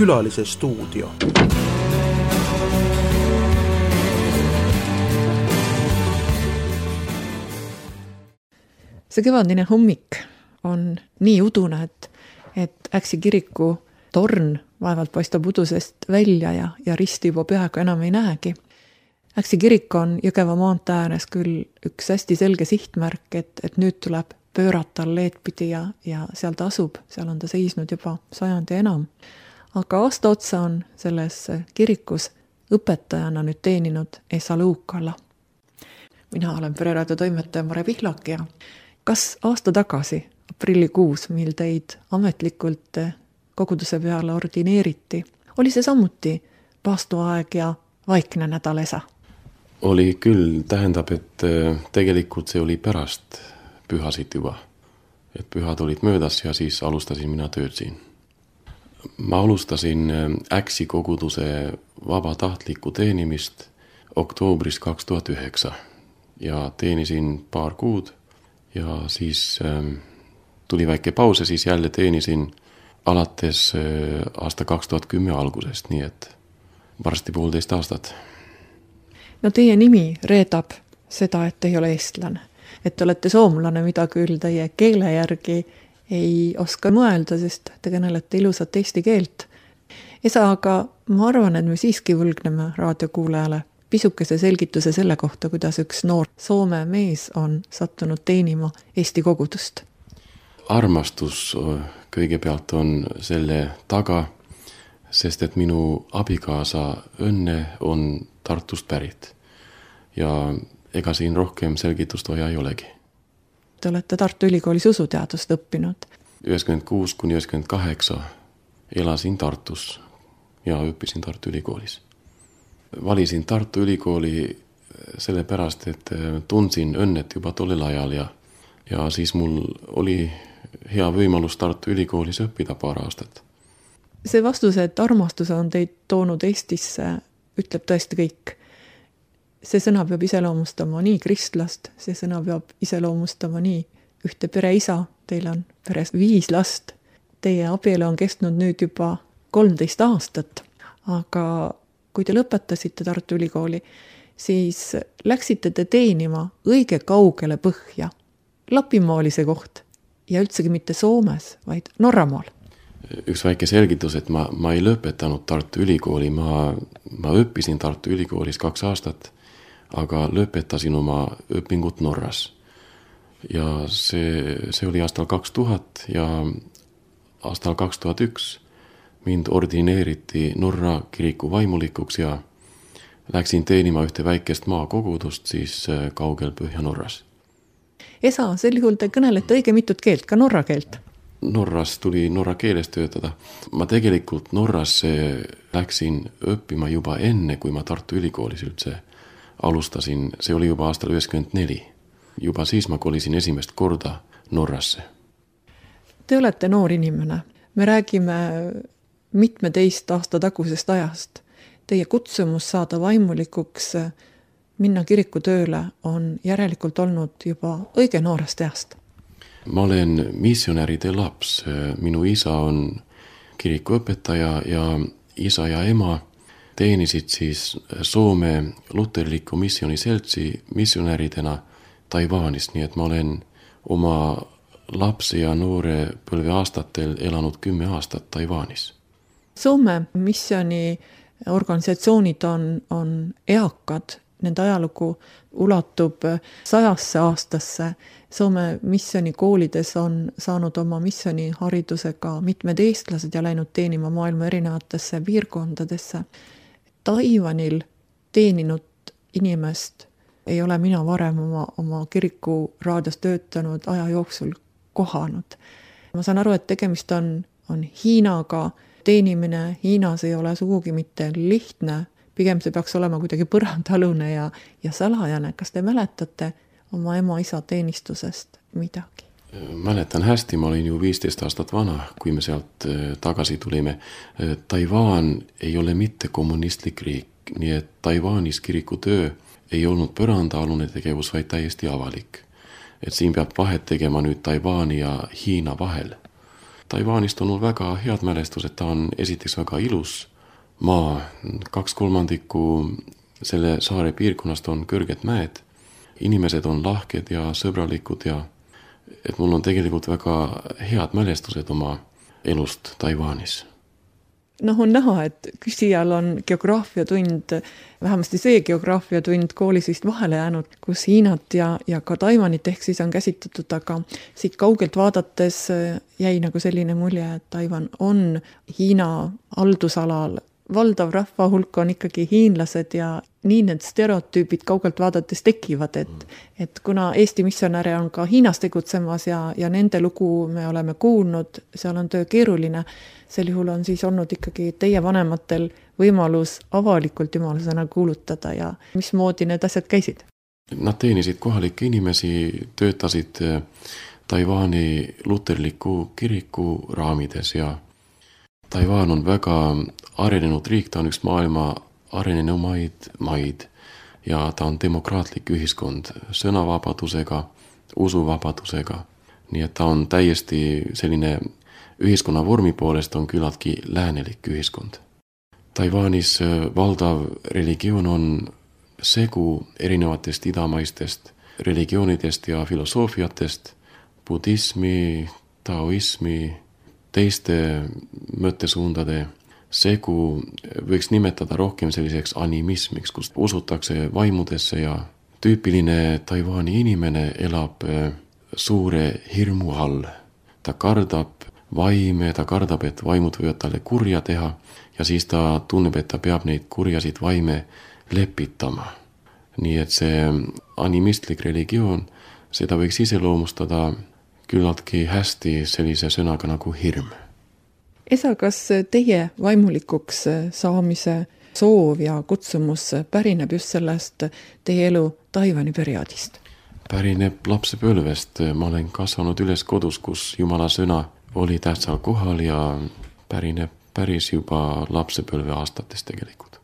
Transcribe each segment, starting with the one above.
Külalise stuudio. See kevadine hommik on nii udune, et Äksi kiriku torn vaevalt paistab udusest välja ja risti juba peaaegu enam ei näegi. Äksi kirik on Jõgeva maantee ääres küll üks hästi selge sihtmärk, et nüüd tuleb pöörata alleedpidi ja seal ta asub, seal on ta seisnud juba sajandi enam. Aga aasta otsa on selles kirikus õpetajana nüüd teeninud Esa Luukalla. Mina olen Pereraadio toimetaja Mare Pihlak ja kas aasta tagasi, aprillikuus, mil teid ametlikult koguduse peale ordineeriti, oli see samuti paastuaeg ja vaikne nädal Esa? Oli küll, tähendab, et tegelikult see oli pärast pühasid juba. Et pühad olid möödas ja siis alustasin mina tööd siin. Ma alustasin Äksi koguduse vabatahtlikku teenimist oktoobris 2009 ja teenisin paar kuud ja siis tuli väike paus ja siis jälle teenisin alates aasta 2010 algusest, nii et varsti 1,5 aastat. No teie nimi reedab seda, et ei ole eestlane, et olete soomlane, mida küll teie keele järgi ei oska mõelda, sest te kõnelete ilusat eesti keelt. Esa, aga ma arvan, et me siiski võlgneme raadiokuulajale pisukese selgituse selle kohta, kuidas üks noor Soome mees on sattunud teenima Eesti kogudust. Armastus kõigepealt on selle taga, sest et minu abikaasa Õnne on Tartust pärit ja ega siin rohkem selgitust vaja ei olegi. Te olete Tartu Ülikoolis usuteadust õppinud. 96–98 elasin Tartus ja õppisin Tartu Ülikoolis. Valisin Tartu Ülikooli sellepärast, et tundsin Õnnet juba tollel ajal ja siis mul oli hea võimalus Tartu Ülikoolis õppida paar aastat. See vastus, et armastus on teid toonud Eestisse, ütleb tõesti kõik. See sõna peab iseloomustama nii kristlast, see sõna peab iseloomustama nii ühte pereisa, teil on peres 5 last. Teie abielu on kestnud nüüd juba 13 aastat, aga kui te lõpetasite Tartu Ülikooli, siis läksite te teenima õige kaugele põhja. Lapimaa oli see koht ja üldsegi mitte Soomes, vaid Norramaal. Üks väike selgitus, et ma ei lõpetanud Tartu Ülikooli, ma õppisin Tartu Ülikoolis 2 aastat, aga lõpetasin oma õpingut Norras. Ja see oli aastal 2000 ja aastal 2001 mind ordineeriti Norra kiriku vaimulikuks ja läksin teenima ühte väikest maakogudust siis kaugel Põhja-Norras. Esa, sel juhul te kõnelete õige mitut keelt, ka norra keelt? Norras tuli norra keeles töötada. Ma tegelikult Norrasse läksin õppima juba enne, kui ma Tartu Ülikoolis üldse alustasin. See oli juba aastal 1994. Juba siis ma kolisin esimest korda Norrasse. Te olete noor inimene. Me räägime 17 aasta tagusest ajast. Teie kutsumus saada vaimulikuks, minna kirikutööle on järelikult olnud juba õige noorest east. Ma olen missionäride laps. Minu isa on kirikuõpetaja ja isa ja ema teenisid siis Soome luterliku missioniseltsi missionäridena Taiwanist, nii et ma olen oma lapse ja noore põlve aastatel elanud 10 aastat Taiwanis. Soome missioni organisatsioonid on eakad, nende ajalugu ulatub 100 aastasse. Soome missionikoolides on saanud oma missioniharidusega mitmed eestlased ja läinud teenima maailma erinevatesse piirkondadesse. Taiwanil teeninud inimest ei ole mina varem oma kiriku raadios töötanud aja jooksul kohanud. Ma saan aru, et tegemist on Hiinaga. Teenimine Hiinas ei ole sugugi mitte lihtne. Pigem see peaks olema kuidagi põrandalune ja salajane. Kas te mäletate oma ema-isa teenistusest midagi? Mäletan hästi, ma olin ju 15 aastat vana, kui me sealt tagasi tulime. Taiwan ei ole mitte kommunistlik riik, nii et Taiwanis kirikutöö ei olnud põrandaalune tegevus, vaid täiesti avalik. Et siin peab vahet tegema nüüd Taiwani ja Hiina vahel. Taiwanist on mul väga head mälestused, ta on esiteks väga ilus maa, 2/3 selle saare piirkonnast on kõrged mäed, inimesed on lahked ja sõbralikud ja et mul on tegelikult väga head mälestused oma elust Taiwanis. Noh, on näha, et küsijal on geograafiatund, vähemasti see geograafiatund koolis vist vahele jäänud, kus Hiinat ja ka Taiwanit ehk siis on käsitletud, aga siit kaugelt vaadates jäi nagu selline mulje, et Taiwan on Hiina haldusalal. Valdav rahva hulk on ikkagi hiinlased ja nii need stereotüübid kaugelt vaadates tekivad, et kuna Eesti missionäre on ka Hiinas tegutsemas ja nende lugu me oleme kuulnud, seal on töö keeruline, sel juhul on siis olnud ikkagi teie vanematel võimalus avalikult jumalasõna kuulutada ja mismoodi need asjad käisid? Nad teenisid kohalikke inimesi, töötasid Taiwani luterliku kiriku raamides ja Taiwan on väga arenenud riik, ta on üks maailma arenenumaid maid ja ta on demokraatlik ühiskond sõnavabadusega, usuvabadusega. Nii et ta on täiesti selline ühiskonna vormi poolest on küllaltki läänelik ühiskond. Taiwanis valdav religioon on segu erinevatest idamaistest religioonidest ja filosoofiatest, budismi, taoismi, teiste mõttesuundade segu võiks nimetada rohkem selliseks animismiks, kus usutakse vaimudesse ja tüüpiline Taiwani inimene elab suure hirmu all. Ta kardab vaime, ta kardab, et vaimud võivad talle kurja teha ja siis ta tunneb, et ta peab neid kurjasid vaime lepitama. Nii et see animistlik religioon, seda võiks iseloomustada küllaltki hästi sellise sõnaga nagu hirm. Esa, kas teie vaimulikuks saamise soov ja kutsumus pärineb just sellest teie elu Taiwani perioodist? Pärineb lapsepõlvest. Ma olen kasvanud üles kodus, kus Jumala sõna oli tähtsal kohal ja pärineb päris juba lapsepõlve aastatest tegelikult.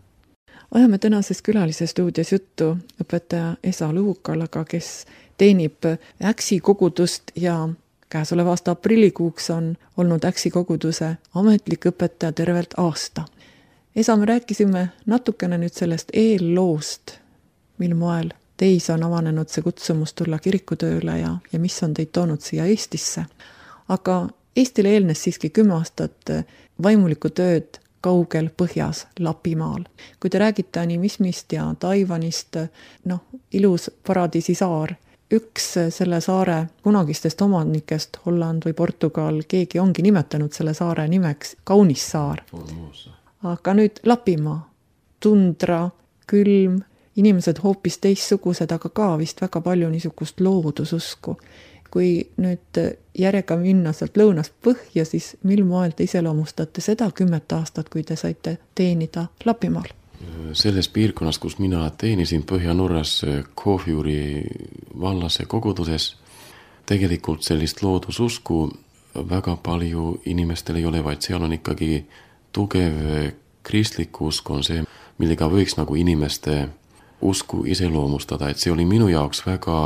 Ajame tänases külalise stuudios juttu õpetaja Esa Luukalaga, kes teenib Äksi kogudust ja käesoleva aasta aprillikuuks on olnud Äksi koguduse ametlik õpetaja tervelt aasta. Esa, me rääkisime natukene nüüd sellest eelloost, mil moel teis on avanenud see kutsumus tulla kirikutööle ja mis on teid toonud siia Eestisse. Aga Eestile eelnes siiski 10 aastat vaimulikku tööd kaugel põhjas Lapimaal. Kui te räägite animismist ja Taiwanist, ilus paradiisi saar, üks selle saare kunagistest omanikest, Holland või Portugal, keegi ongi nimetanud selle saare nimeks Kaunis saar. Aga nüüd Lapimaa, tundra, külm, inimesed hoopis teistsugused, aga ka vist väga palju niisugust loodususku. Kui nüüd järjega minna sealt lõunast põhja, siis mil moel te iseloomustate seda 10 aastat, kui te saite teenida Lapimaal? Selles piirkonnas, kus mina teenisin Põhja-Norras Kohvjuri vallas ja koguduses, tegelikult sellist loodususku väga palju inimestel ei ole, vaid seal on ikkagi tugev kristlik usk on see, millega võiks nagu inimeste usku iseloomustada, et see oli minu jaoks väga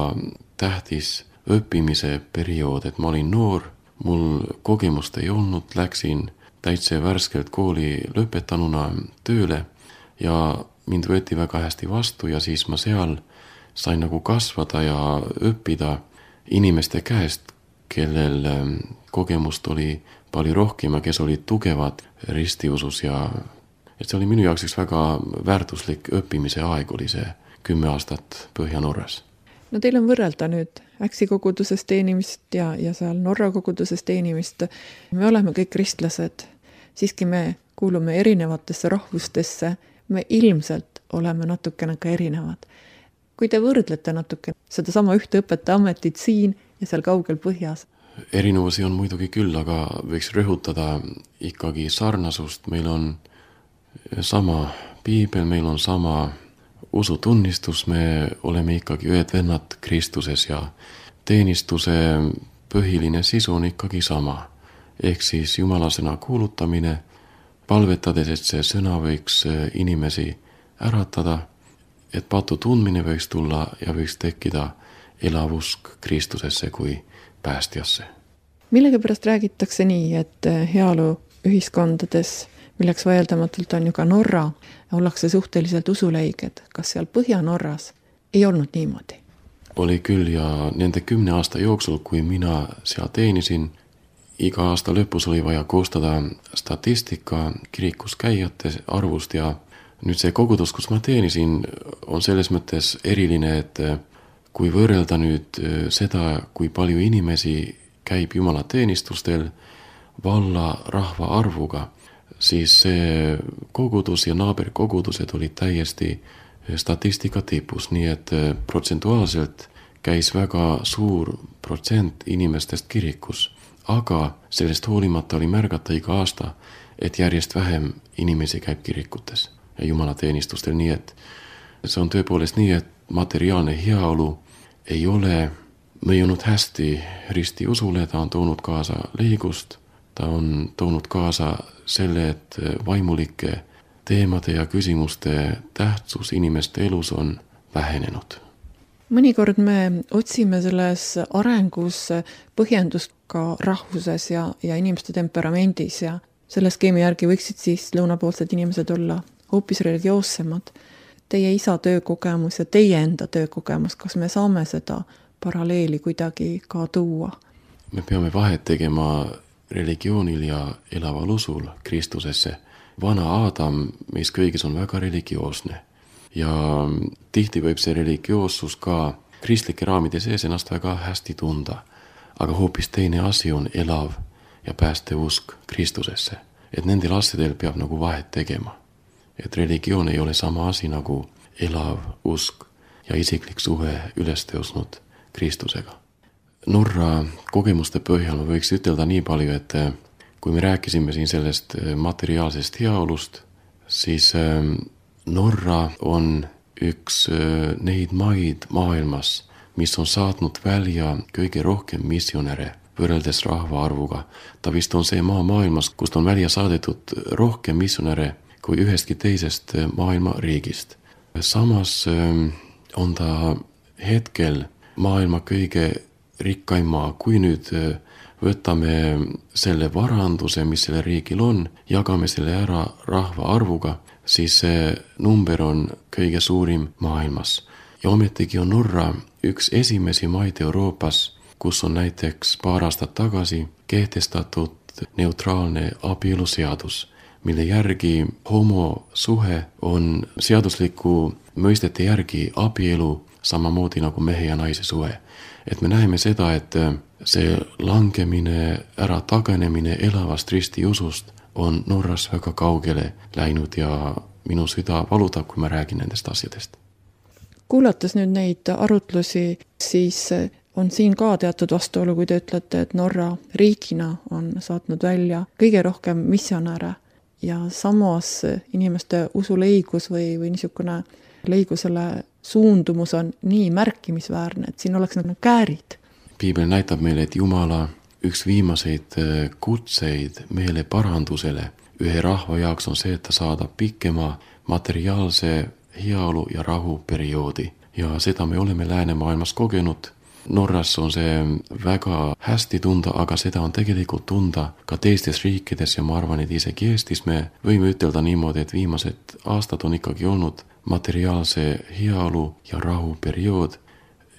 tähtis õppimise periood, et ma olin noor, mul kogemust ei olnud, läksin täitsa värskelt kooli lõpetanuna tööle ja mind võeti väga hästi vastu ja siis ma seal sain nagu kasvada ja õppida inimeste käest, kellel kogemust oli palju rohkem ja kes olid tugevad ristiusus ja et see oli minu jaoks üks väga väärtuslik õppimise aeg oli see 10 aastat Põhja-Norras. No teil on võrrelda nüüd Äksi koguduses teenimist ja seal Norra koguduses teenimist. Me oleme kõik kristlased, siiski me kuulume erinevatesse rahvustesse, me ilmselt oleme natukene ka erinevad. Kui te võrdlete natuke seda sama ühte õpetaja ametit siin ja seal kaugel põhjas? Erinevusi on muidugi küll, aga võiks rõhutada ikkagi sarnasust. Meil on sama piibel, meil on sama usutunnistus, me oleme ikkagi ühed vennad Kristuses ja teenistuse põhiline sisu on ikkagi sama. Ehk siis Jumala sõna kuulutamine, palvetades, et see sõna võiks inimesi äratada, et patu tundmine võiks tulla ja võiks tekkida elavusk Kristusesse kui päästjasse. Millegipärast räägitakse nii, et heaolu ühiskondades, milleks vaieldamatult on ju ka Norra, ollakse suhteliselt usuleiged. Kas seal Põhja-Norras ei olnud niimoodi? Oli küll ja nende 10 aasta jooksul, kui mina seal teenisin, iga aasta lõpus oli vaja koostada statistika kirikus käijate arvust ja nüüd see kogudus, kus ma teenisin, on selles mõttes eriline, et kui võrrelda nüüd seda, kui palju inimesi käib Jumala teenistustel valla rahva arvuga, siis see kogudus ja naaberkogudused olid täiesti statistika tipus, nii et protsentuaalselt käis väga suur protsent inimestest kirikus. Aga sellest hoolimata oli märgata iga aasta, et järjest vähem inimesi käib kirikutes ja Jumala teenistustel, nii et see on tõepoolest nii, et materiaalne heaolu ei ole mõjunud hästi ristiusule, ta on toonud kaasa leigust, ta on toonud kaasa selle, et vaimulike teemade ja küsimuste tähtsus inimeste elus on vähenenud. Mõnikord me otsime selles arengus põhjendust ka rahvuses ja inimeste temperamendis ja selle skeemi järgi võiksid siis lõunapoolsed inimesed olla hoopis religioossemad. Teie isa töökogemus ja teie enda töökogemus, kas me saame seda paralleeli kuidagi ka tuua? Me peame vahet tegema religioonil ja elaval usul Kristusesse. Vana Aadam meis kõigis on väga religioosne ja tihti võib see religioossus ka kristlike raamide sees ennast väga hästi tunda. Aga hoopis teine asi on elav ja pääste usk Kristusesse. Et nendel asjadel peab nagu vahet tegema. Et religioon ei ole sama asi nagu elav usk ja isiklik suhe üles tõusnud Kristusega. Norra kogemuste põhjal ma võiks ütelda nii palju, et kui me rääkisime siin sellest materiaalsest heaolust, siis Norra on üks neid maid maailmas, mis on saatnud välja kõige rohkem missionäre võrreldes rahva arvuga. Ta vist on see maa maailmas, kust on välja saadetud rohkem missionäre kui ühestki teisest maailma riigist. Samas on ta hetkel maailma kõige rikkaim maa. Kui nüüd võtame selle varanduse, mis selle riigil on, jagame selle ära rahva arvuga, siis see number on kõige suurim maailmas. Ja ometigi on Norra üks esimesi maid Euroopas, kus on näiteks paar aastat tagasi kehtestatud neutraalne abieluseadus, mille järgi homosuhe on seadusliku mõistete järgi abielu samamoodi nagu mehe ja naise suhe. Et me näeme seda, et see langemine, ära taganemine elavast ristiusust on Norras väga kaugele läinud ja minu süda valutab, kui ma räägin nendest asjadest. Kuulates nüüd neid arutlusi, siis on siin ka teatud vastuolu, kui te ütlete, et Norra riigina on saatnud välja kõige rohkem missionäre ja samas inimeste usuleigus või niisugune leigusele suundumus on nii märkimisväärne, et siin oleks nagu käärid. Piibel näitab meile, et Jumala üks viimaseid kutseid meele parandusele ühe rahva jaoks on see, et ta saadab pikema materiaalse heaolu ja rahu perioodi. Ja seda me oleme läänemaailmas kogenud. Norras on see väga hästi tunda, aga seda on tegelikult tunda ka teistes riikides ja ma arvan, et isegi Eestis me võime ütelda niimoodi, et viimased aastad on ikkagi olnud materiaalse heaolu ja rahu periood.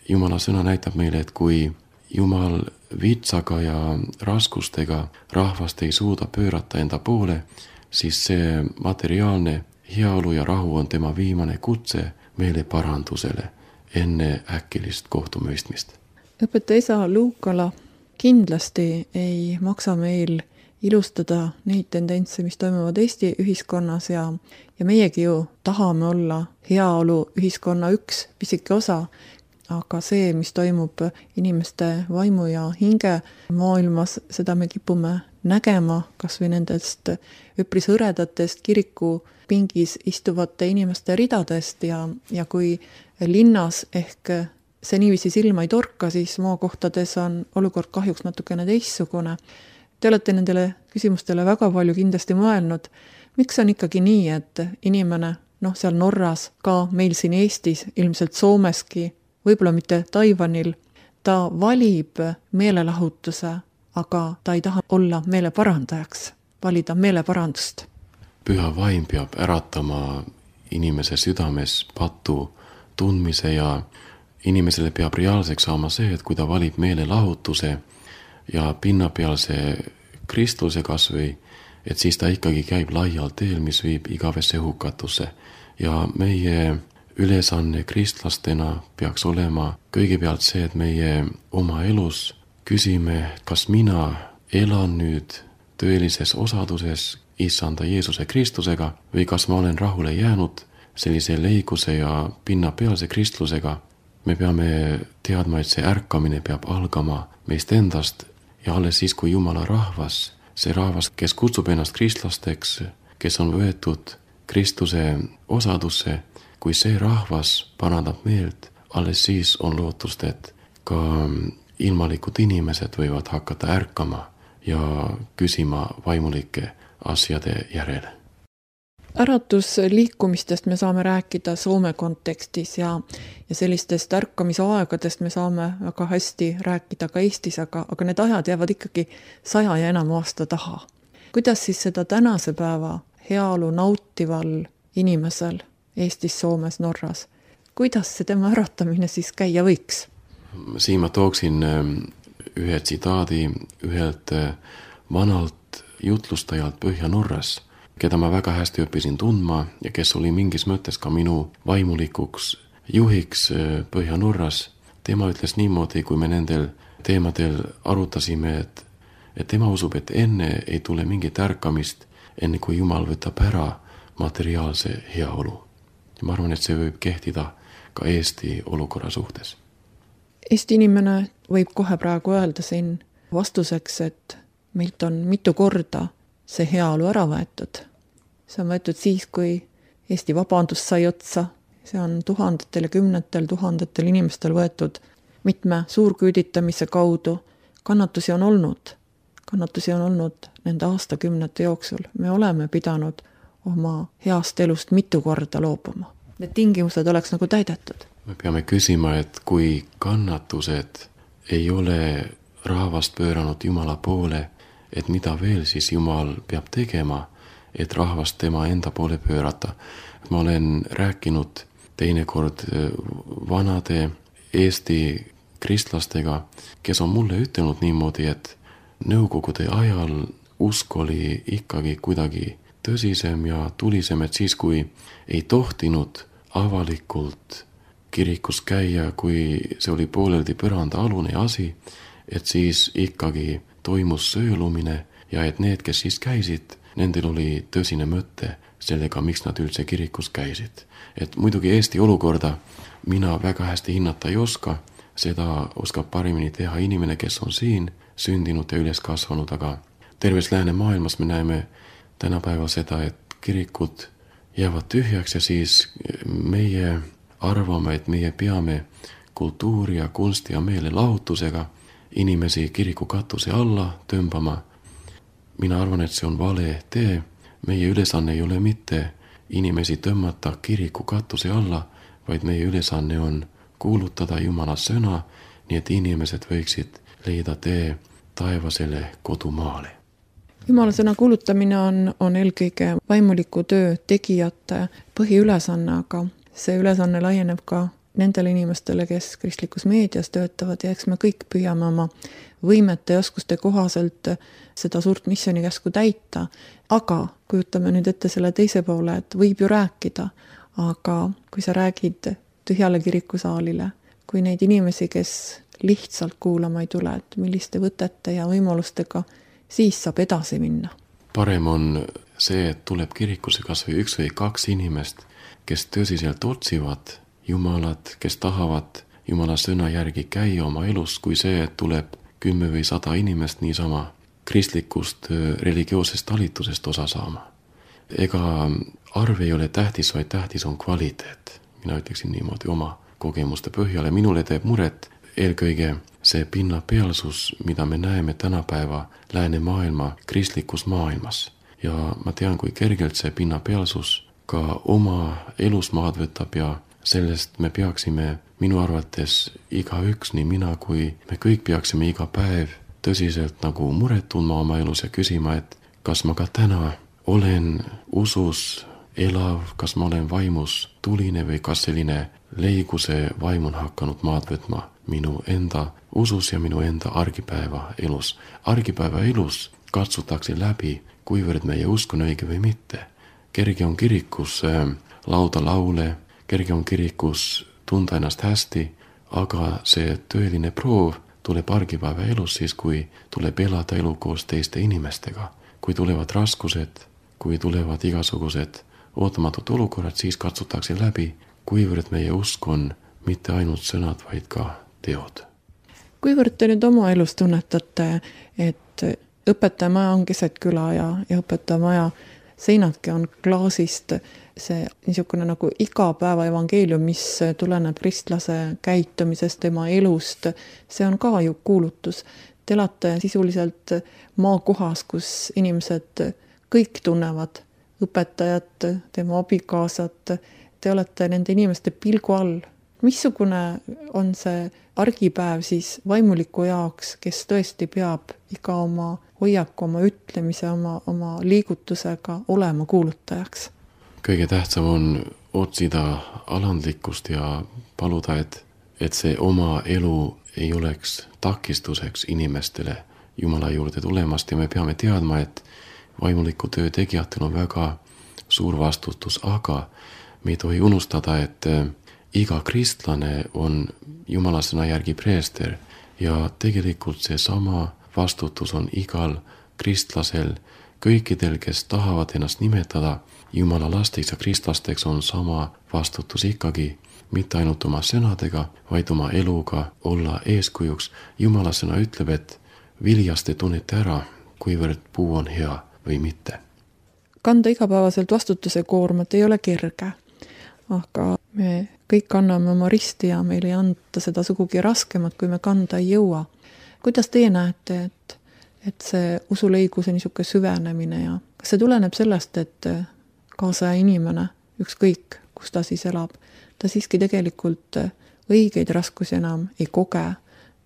Jumala sõna näitab meile, et kui Jumal vitsaga ja raskustega rahvast ei suuda pöörata enda poole, siis see materiaalne heaolu ja rahu on tema viimane kutse meele parandusele enne äkilist kohtumõistmist. Õpetaja isa Luukala, kindlasti ei maksa meil ilustada neid tendentse, mis toimuvad Eesti ühiskonnas ja meiegi ju tahame olla heaolu ühiskonna üks pisike osa, aga see, mis toimub inimeste vaimu ja hinge maailmas, seda me kipume nägema kas või nendest üpris hõredatest kiriku pingis istuvate inimeste ridadest ja kui linnas ehk see niiviisi silma ei torka, siis maakohtades on olukord kahjuks natukene teistsugune. Te olete nendele küsimustele väga palju kindlasti mõelnud. Miks on ikkagi nii, et inimene, seal Norras, ka meil siin Eestis, ilmselt Soomeski, võib-olla mitte Taiwanil, ta valib meelelahutuse aga ta ei taha olla meeleparandajaks, valida meeleparandust. Püha vaim peab äratama inimese südames patu tundmise ja inimesele peab reaalseks saama see, et kui ta valib meelelahutuse ja pinnapealse kristluse kasvõi, et siis ta ikkagi käib laial teel, mis viib igavesse hukatusse. Ja meie ülesanne kristlastena peaks olema kõigepealt see, et meie oma elus küsime, kas mina elan nüüd tõelises osaduses Issanda Jeesuse Kristusega või kas ma olen rahule jäänud sellise leiguse ja pinnapealse kristlusega. Me peame teadma, et see ärkamine peab algama meist endast ja alles siis, kui Jumala rahvas, see rahvas, kes kutsub ennast kristlasteks, kes on võetud Kristuse osadusse, kui see rahvas parandab meelt, alles siis on lootust, et ka ilmalikud inimesed võivad hakata ärkama ja küsima vaimulike asjade järele. Äratusliikumistest me saame rääkida Soome kontekstis ja sellistest ärkamisaegadest me saame väga hästi rääkida ka Eestis, aga need ajad jäävad ikkagi 100 ja enam aasta taha. Kuidas siis seda tänase päeva heaolu nautival inimesel Eestis, Soomes, Norras, kuidas see tema äratamine siis käia võiks? Siin ma tooksin ühe tsitaadi ühelt vanalt jutlustajalt Põhja-Norras, keda ma väga hästi õppisin tundma ja kes oli mingis mõttes ka minu vaimulikuks juhiks Põhja-Norras. Tema ütles niimoodi, kui me nendel teemadel arutasime, et tema usub, et enne ei tule mingit ärkamist, enne kui Jumal võtab ära materiaalse heaolu. Ja ma arvan, et see võib kehtida ka Eesti olukorra suhtes. Eesti inimene võib kohe praegu öelda siin vastuseks, et meilt on mitu korda see heaolu ära võetud. See on võetud siis, kui Eesti vabandus sai otsa. See on tuhandetel ja kümnetel tuhandetel inimestel võetud mitme suurküüditamise kaudu. Kannatusi on olnud nende aastakümnete jooksul. Me oleme pidanud oma heast elust mitu korda loobuma. Need tingimused oleks nagu täidetud. Me peame küsima, et kui kannatused ei ole rahvast pööranud Jumala poole, et mida veel siis Jumal peab tegema, et rahvast tema enda poole pöörata. Ma olen rääkinud teinekord vanade Eesti kristlastega, kes on mulle ütelnud niimoodi, et nõukogude ajal usk oli ikkagi kuidagi tõsisem ja tulisem, et siis kui ei tohtinud avalikult kirikus käia, kui see oli pooleldi põranda alune asi, et siis ikkagi toimus söölumine ja et need, kes siis käisid, nendel oli tõsine mõte sellega, miks nad üldse kirikus käisid. Et muidugi Eesti olukorda mina väga hästi hinnata ei oska, seda oskab paremini teha inimene, kes on siin sündinud ja üles kasvanud, aga terves läänemaailmas me näeme tänapäeval seda, et kirikud jäävad tühjaks ja siis meie arvame, et meie peame kultuuri ja kunsti ja meelelahutusega inimesi kiriku katuse alla tõmbama. Mina arvan, et see on vale tee. Meie ülesanne ei ole mitte inimesi tõmmata kiriku katuse alla, vaid meie ülesanne on kuulutada Jumala sõna, nii et inimesed võiksid leida tee taevasele kodumaale. Jumala sõna kuulutamine on eelkõige vaimuliku töö tegijate põhiülesanne, aga see ülesanne laieneb ka nendele inimestele, kes kristlikus meedias töötavad ja eks me kõik püüame oma võimete ja oskuste kohaselt seda suurt missioonikäsku täita. Aga kujutame nüüd ette selle teise poole, et võib ju rääkida, aga kui sa räägid tühjale kirikusaalile, kui neid inimesi, kes lihtsalt kuulama ei tule, et milliste võtete ja võimalustega siis saab edasi minna. Parem on see, et tuleb kirikusse kas või 1 või 2 inimest, kes tõsiselt otsivad Jumalat, kes tahavad Jumala sõna järgi käia oma elus, kui see, et tuleb 10 või 100 inimest niisama kristlikust religioossest talitusest osa saama. Ega arv ei ole tähtis, vaid tähtis on kvaliteet. Mina ütleksin niimoodi oma kogemuste põhjale. Minule teeb muret eelkõige see pinnapealsus, mida me näeme tänapäeva läänemaailma kristlikus maailmas. Ja ma tean, kui kergelt see pinnapealsus ka oma elusmaad võtab ja sellest me peaksime minu arvates igaüks, nii mina kui me kõik peaksime iga päev tõsiselt nagu muret tundma oma elus ja küsima, et kas ma ka täna olen usus elav, kas ma olen vaimus tuline või kas selline leiguse vaim on hakanud maad võtma minu enda usus ja minu enda argipäeva elus. Argipäeva elus katsutakse läbi, kuivõrd meie usk on õige või mitte. Kerge on kirikus lauda laule, kerge on kirikus tunda ennast hästi, aga see tõeline proov tuleb argipäeva elus siis, kui tuleb elada elu koos teiste inimestega. Kui tulevad raskused, kui tulevad igasugused ootamatud olukorrad, siis katsutakse läbi, kuivõrd meie usk on mitte ainult sõnad, vaid ka teod. Kuivõrd te nüüd oma elus tunnetate, et õpetajamaja on keset küla ja õpetajamaja seinadki on klaasist, see niisugune nagu igapäeva evangeelium, mis tuleneb kristlase käitumisest, tema elust, see on ka ju kuulutus. Te elate sisuliselt maakohas, kus inimesed kõik tunnevad õpetajat, tema abikaasat, te olete nende inimeste pilgu all. Missugune on see argipäev siis vaimuliku jaoks, kes tõesti peab iga oma hoiaku, oma ütlemise, oma liigutusega olema kuulutajaks? Kõige tähtsam on otsida alandlikkust ja paluda, et see oma elu ei oleks takistuseks inimestele Jumala juurde tulemast ja me peame teadma, et vaimuliku töö tegijatel on väga suur vastutus, aga me ei tohi unustada, et iga kristlane on Jumala sõna järgi preester ja tegelikult see sama vastutus on igal kristlasel, kõikidel, kes tahavad ennast nimetada Jumala lasteks ja kristlasteks, on sama vastutus ikkagi, mitte ainult oma sõnadega, vaid oma eluga olla eeskujuks. Jumala sõna ütleb, et viljast te tunnete ära, kuivõrd puu on hea või mitte. Kanda igapäevaselt vastutuse koormat ei ole kerge, aga me kõik kanname oma risti ja meil ei anta seda sugugi raskemat, kui me kanda ei jõua. Kuidas teie näete, et see usuleiguse niisugune süvenemine ja kas see tuleneb sellest, et kaasaja inimene, ükskõik kus ta siis elab, ta siiski tegelikult õigeid raskusi enam ei koge,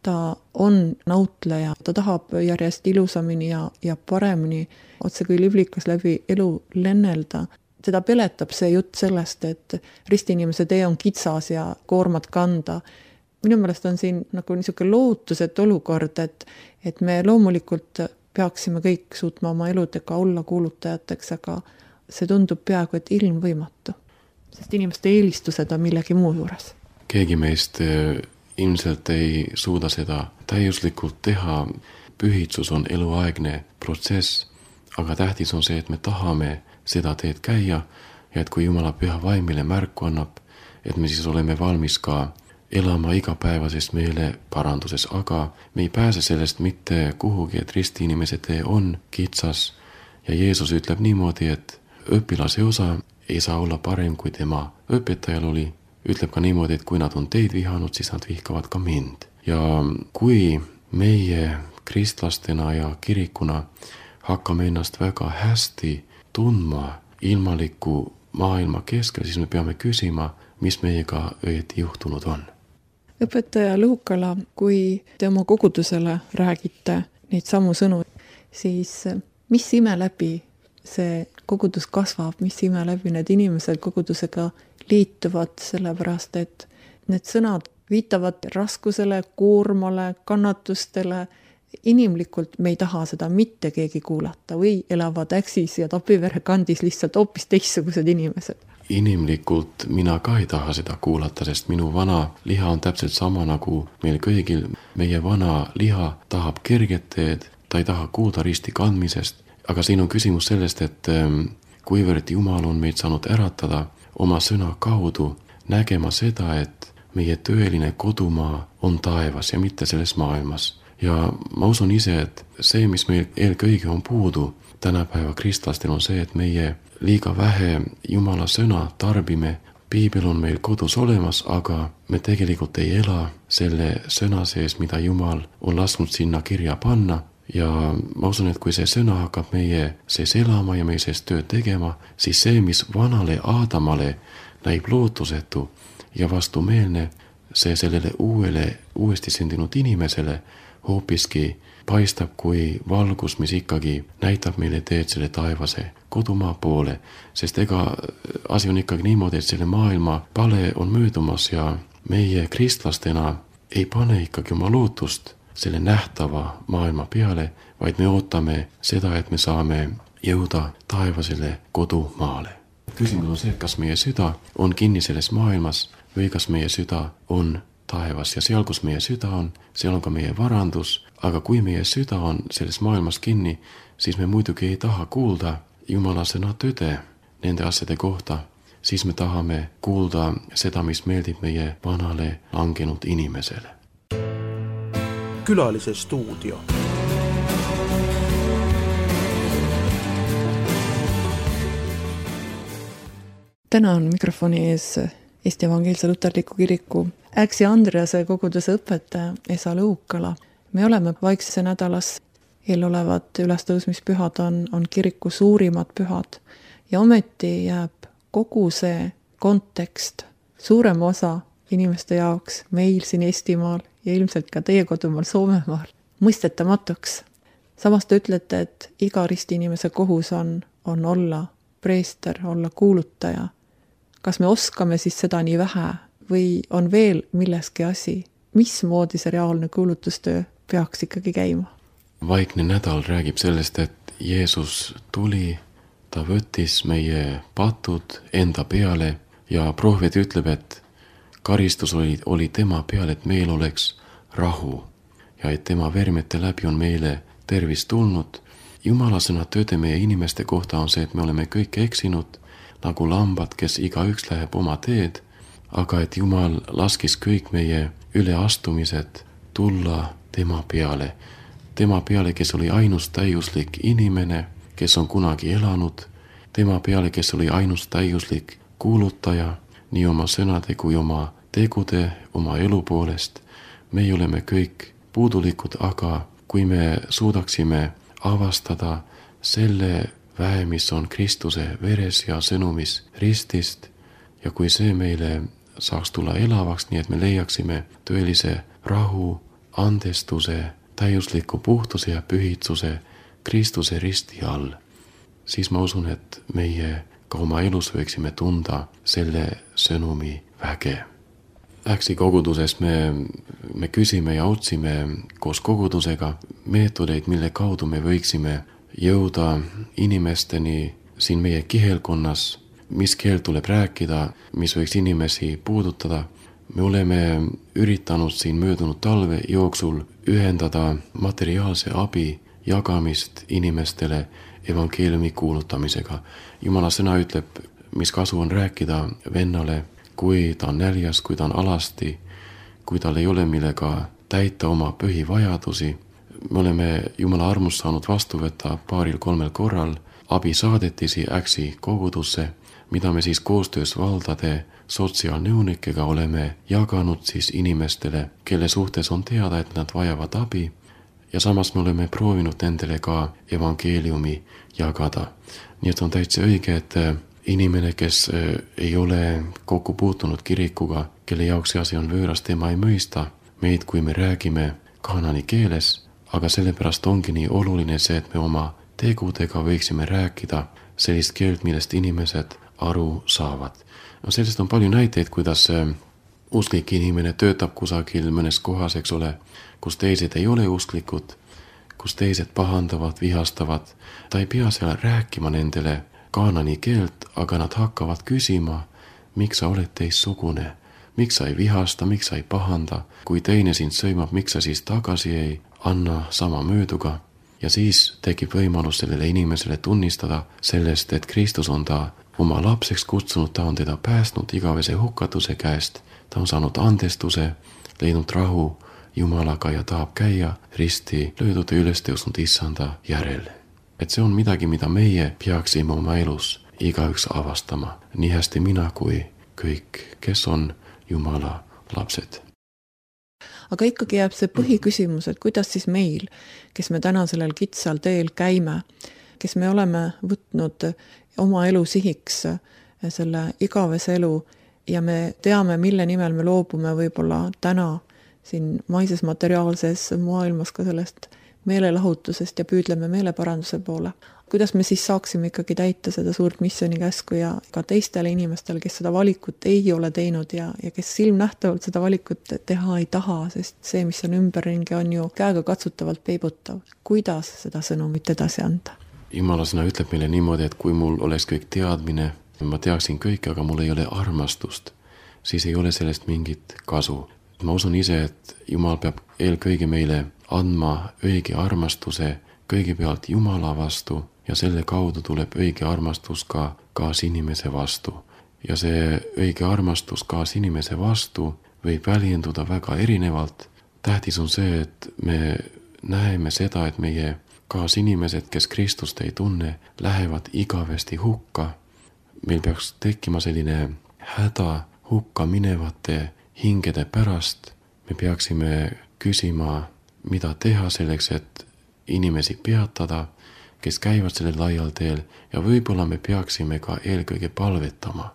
ta on nautleja, ta tahab järjest ilusamini ja paremini otse kui liblikas läbi elu lennelda. Teda peletab see jutt sellest, et ristiinimese tee on kitsas ja koormat kanda. Minu meelest on siin nagu niisugune lootuset olukord, et me loomulikult peaksime kõik suutma oma eludega olla kuulutajateks, aga see tundub peaaegu, et ilmvõimatu, sest inimeste eelistused on millegi muu juures. Keegi meist ilmselt ei suuda seda täiuslikult teha. Pühitsus on eluaegne protsess, aga tähtis on see, et me tahame seda teed käia ja et kui Jumala püha vaim meile märku annab, et me siis oleme valmis ka elama igapäevasest meele paranduses, aga me ei pääse sellest mitte kuhugi, et ristiinimese tee on kitsas ja Jeesus ütleb niimoodi, et õpilase osa ei saa olla parem kui tema õpetajal oli. Ütleb ka niimoodi, et kui nad on teid vihanud, siis nad vihkavad ka mind. Ja kui meie kristlastena ja kirikuna hakkame ennast väga hästi tundma ilmaliku maailma keskel, siis me peame küsima, mis meiega õieti juhtunud on. Õpetaja Luukala, kui te oma kogudusele räägite neid samu sõnu, siis mis ime läbi see kogudus kasvab, mis ime läbi need inimesed kogudusega liituvad, sellepärast et need sõnad viitavad raskusele, koormale, kannatustele. Inimlikult me ei taha seda mitte keegi kuulata või elavad Äksis ja Tapivere kandis lihtsalt hoopis teistsugused inimesed. Inimlikult mina ka ei taha seda kuulata, sest minu vana liha on täpselt sama nagu meil kõigil. Meie vana liha tahab kerget teed, ta ei taha kuulda risti kandmisest, aga siin on küsimus sellest, et kuivõrd Jumal on meid saanud äratada oma sõna kaudu, nägema seda, et meie tõeline kodumaa on taevas ja mitte selles maailmas. Ja ma usun ise, et see, mis meil eelkõige on puudu tänapäeva kristlastel, on see, et meie liiga vähe Jumala sõna tarbime. Piibel on meil kodus olemas, aga me tegelikult ei ela selle sõna sees, mida Jumal on lasknud sinna kirja panna. Ja ma usun, et kui see sõna hakkab meie sees elama ja meie sees tööd tegema, siis see, mis vanale Aadamale näib lootusetu ja vastumeelne, see sellele uuesti sündinud inimesele hoopiski paistab kui valgus, mis ikkagi näitab meile teed selle taevase kodumaa poole, sest ega asi on ikkagi niimoodi, et selle maailma pale on möödumas ja meie kristlastena ei pane ikkagi oma lootust selle nähtava maailma peale, vaid me ootame seda, et me saame jõuda taevasele kodumaale. Küsimus on see, et kas meie süda on kinni selles maailmas või kas meie süda on taevas ja seal, kus meie süda on, seal on ka meie varandus, aga kui meie süda on selles maailmas kinni, siis me muidugi ei taha kuulda Jumala sõna tõde nende asjade kohta, siis me tahame kuulda seda, mis meeldib meie vanale langenud inimesele. Külalise stuudio. Täna on mikrofoni ees Eesti Evangeelse Luterliku Kiriku Äksi Andrease koguduse õpetaja Esa Lõukala. Me oleme Vaiksese nädalas, eelolevad ülestõusmispühad on kiriku suurimad pühad ja ometi jääb kogu see kontekst, suurem osa inimeste jaoks meil siin Eestimaal ja ilmselt ka teie kodumaal Soomemaal mõistetamatuks. Samas te ütlete, et iga ristiinimese kohus on olla preester, olla kuulutaja. Kas me oskame siis seda nii vähe või on veel milleski asi? Mismoodi see reaalne kuulutustöö peaks ikkagi käima? Vaikne nädal räägib sellest, et Jeesus tuli, ta võttis meie patud enda peale ja prohvet ütleb, et karistus oli tema peal, et meil oleks rahu ja et tema vermete läbi on meile tervis tulnud. Jumala sõna tõde meie inimeste kohta on see, et me oleme kõik eksinud nagu lambad, kes igaüks läheb oma teed, aga et Jumal laskis kõik meie üleastumised tulla tema peale, kes oli ainus täiuslik inimene, kes on kunagi elanud, tema peale, kes oli ainus täiuslik kuulutaja, nii oma sõnade kui oma tegude, oma elu poolest. Me oleme kõik puudulikud, aga kui me suudaksime avastada selle väe, mis on Kristuse veres ja sõnumis ristist, ja kui see meile saaks tulla elavaks, nii et me leiaksime tõelise rahu, andestuse, täiusliku puhtuse ja pühitsuse Kristuse risti all, siis ma usun, et meie ka oma elus võiksime tunda selle sõnumi väge. Äksi koguduses me küsime ja otsime koos kogudusega meetodeid, mille kaudu me võiksime jõuda inimesteni siin meie kihelkonnas, mis keel tuleb rääkida, mis võiks inimesi puudutada. Me oleme üritanud siin möödunud talve jooksul ühendada materiaalse abi jagamist inimestele evangeeliumi kuulutamisega. Jumala sõna ütleb, mis kasu on rääkida vennale, kui ta on näljas, kui ta on alasti, kui tal ei ole millega täita oma põhivajadusi. Me oleme Jumala armust saanud vastu võtta 2-3 korral abisaadetisi Äksi kogudusse, mida me siis koostöös valdade sotsiaalnõunikega oleme jaganud siis inimestele, kelle suhtes on teada, et nad vajavad abi, ja samas me oleme proovinud nendele ka evangeeliumi jagada. Nii et on täitsa õige, et inimene, kes ei ole kokku puutunud kirikuga, kelle jaoks see asi on võõras, tema ei mõista meid, kui me räägime kaanani keeles, aga sellepärast ongi nii oluline see, et me oma tegudega võiksime rääkida sellist keelt, millest inimesed aru saavad. No sellest on palju näiteid, kuidas usklik inimene töötab kusagil mõnes kohas, eks ole, kus teised ei ole usklikud, kus teised pahandavad, vihastavad. Ta ei pea seal rääkima nendele kaanani keelt, aga nad hakkavad küsima, miks sa oled teistsugune, miks sa ei vihasta, miks sa ei pahanda, kui teine sind sõimab, miks sa siis tagasi ei anna sama mööduga. Ja siis tekib võimalus sellele inimesele tunnistada sellest, et Kristus on ta oma lapseks kutsunud, ta on teda päästnud igavese hukatuse käest, ta on saanud andestuse, leidnud rahu Jumalaga ja tahab käia risti löödud ja ülestõusnud issanda järel. Et see on midagi, mida meie peaksime oma elus igaüks avastama, nii hästi mina kui kõik, kes on Jumala lapsed. Aga ikkagi jääb see põhiküsimus, et kuidas siis meil, kes me täna sellel kitsal teel käime, kes me oleme võtnud oma elu sihiks selle igavese elu ja me teame, mille nimel me loobume võib-olla täna siin maises materiaalses maailmas ka sellest meelelahutusest ja püüdleme meeleparanduse poole. Kuidas me siis saaksime ikkagi täita seda suurt missioonikäsku ja ka teistele inimestele, kes seda valikut ei ole teinud ja kes silmnähtavalt seda valikut teha ei taha, sest see, mis on ümberringi, on ju käega katsutavalt peibutav. Kuidas seda sõnumit edasi anda? Jumala sõna ütleb meile niimoodi, et kui mul oleks kõik teadmine, ma teaksin kõike, aga mul ei ole armastust, siis ei ole sellest mingit kasu. Ma usun ise, et Jumal peab eelkõige meile andma õige armastuse kõigepealt Jumala vastu ja selle kaudu tuleb õige armastus ka kaasinimese vastu. Ja see õige armastus kaasinimese vastu võib väljenduda väga erinevalt. Tähtis on see, et me näeme seda, et meie kaasinimesed, kes Kristust ei tunne, lähevad igavesti hukka. Meil peaks tekkima selline häda hukka minevate hingede pärast. Me peaksime küsima, mida teha selleks, et inimesi peatada, kes käivad sellel laial teel ja võib-olla me peaksime ka eelkõige palvetama.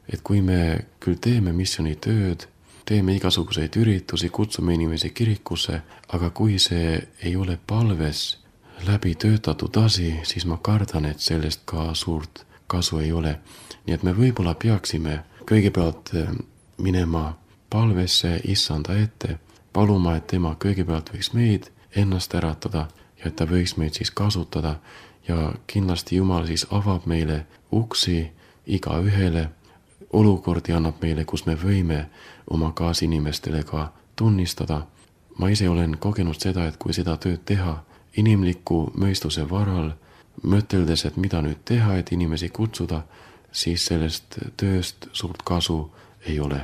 Et kui me küll teeme missioonitööd, teeme igasuguseid üritusi, kutsume inimesi kirikusse, aga kui see ei ole palves läbi töötatud asi, siis ma kardan, et sellest ka suurt kasu ei ole. Nii et me võib-olla peaksime kõigepealt minema palvesse Issanda ette, paluma, et tema kõigepealt võiks meid ennast äratada ja et ta võiks meid siis kasutada ja kindlasti Jumal siis avab meile uksi igaühele, olukordi annab meile, kus me võime oma kaasinimestele ka tunnistada. Ma ise olen kogenud seda, et kui seda tööd teha inimliku mõistuse varal, mõteldes, et mida nüüd teha, et inimesi kutsuda, siis sellest tööst suurt kasu ei ole.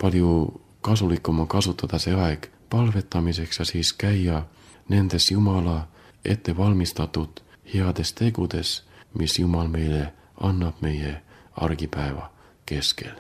Palju kasulikum on kasutada see aeg palvetamiseks ja siis käia nendes Jumala ette valmistatud heades tegudes, mis Jumal meile annab meie argipäeva keskel.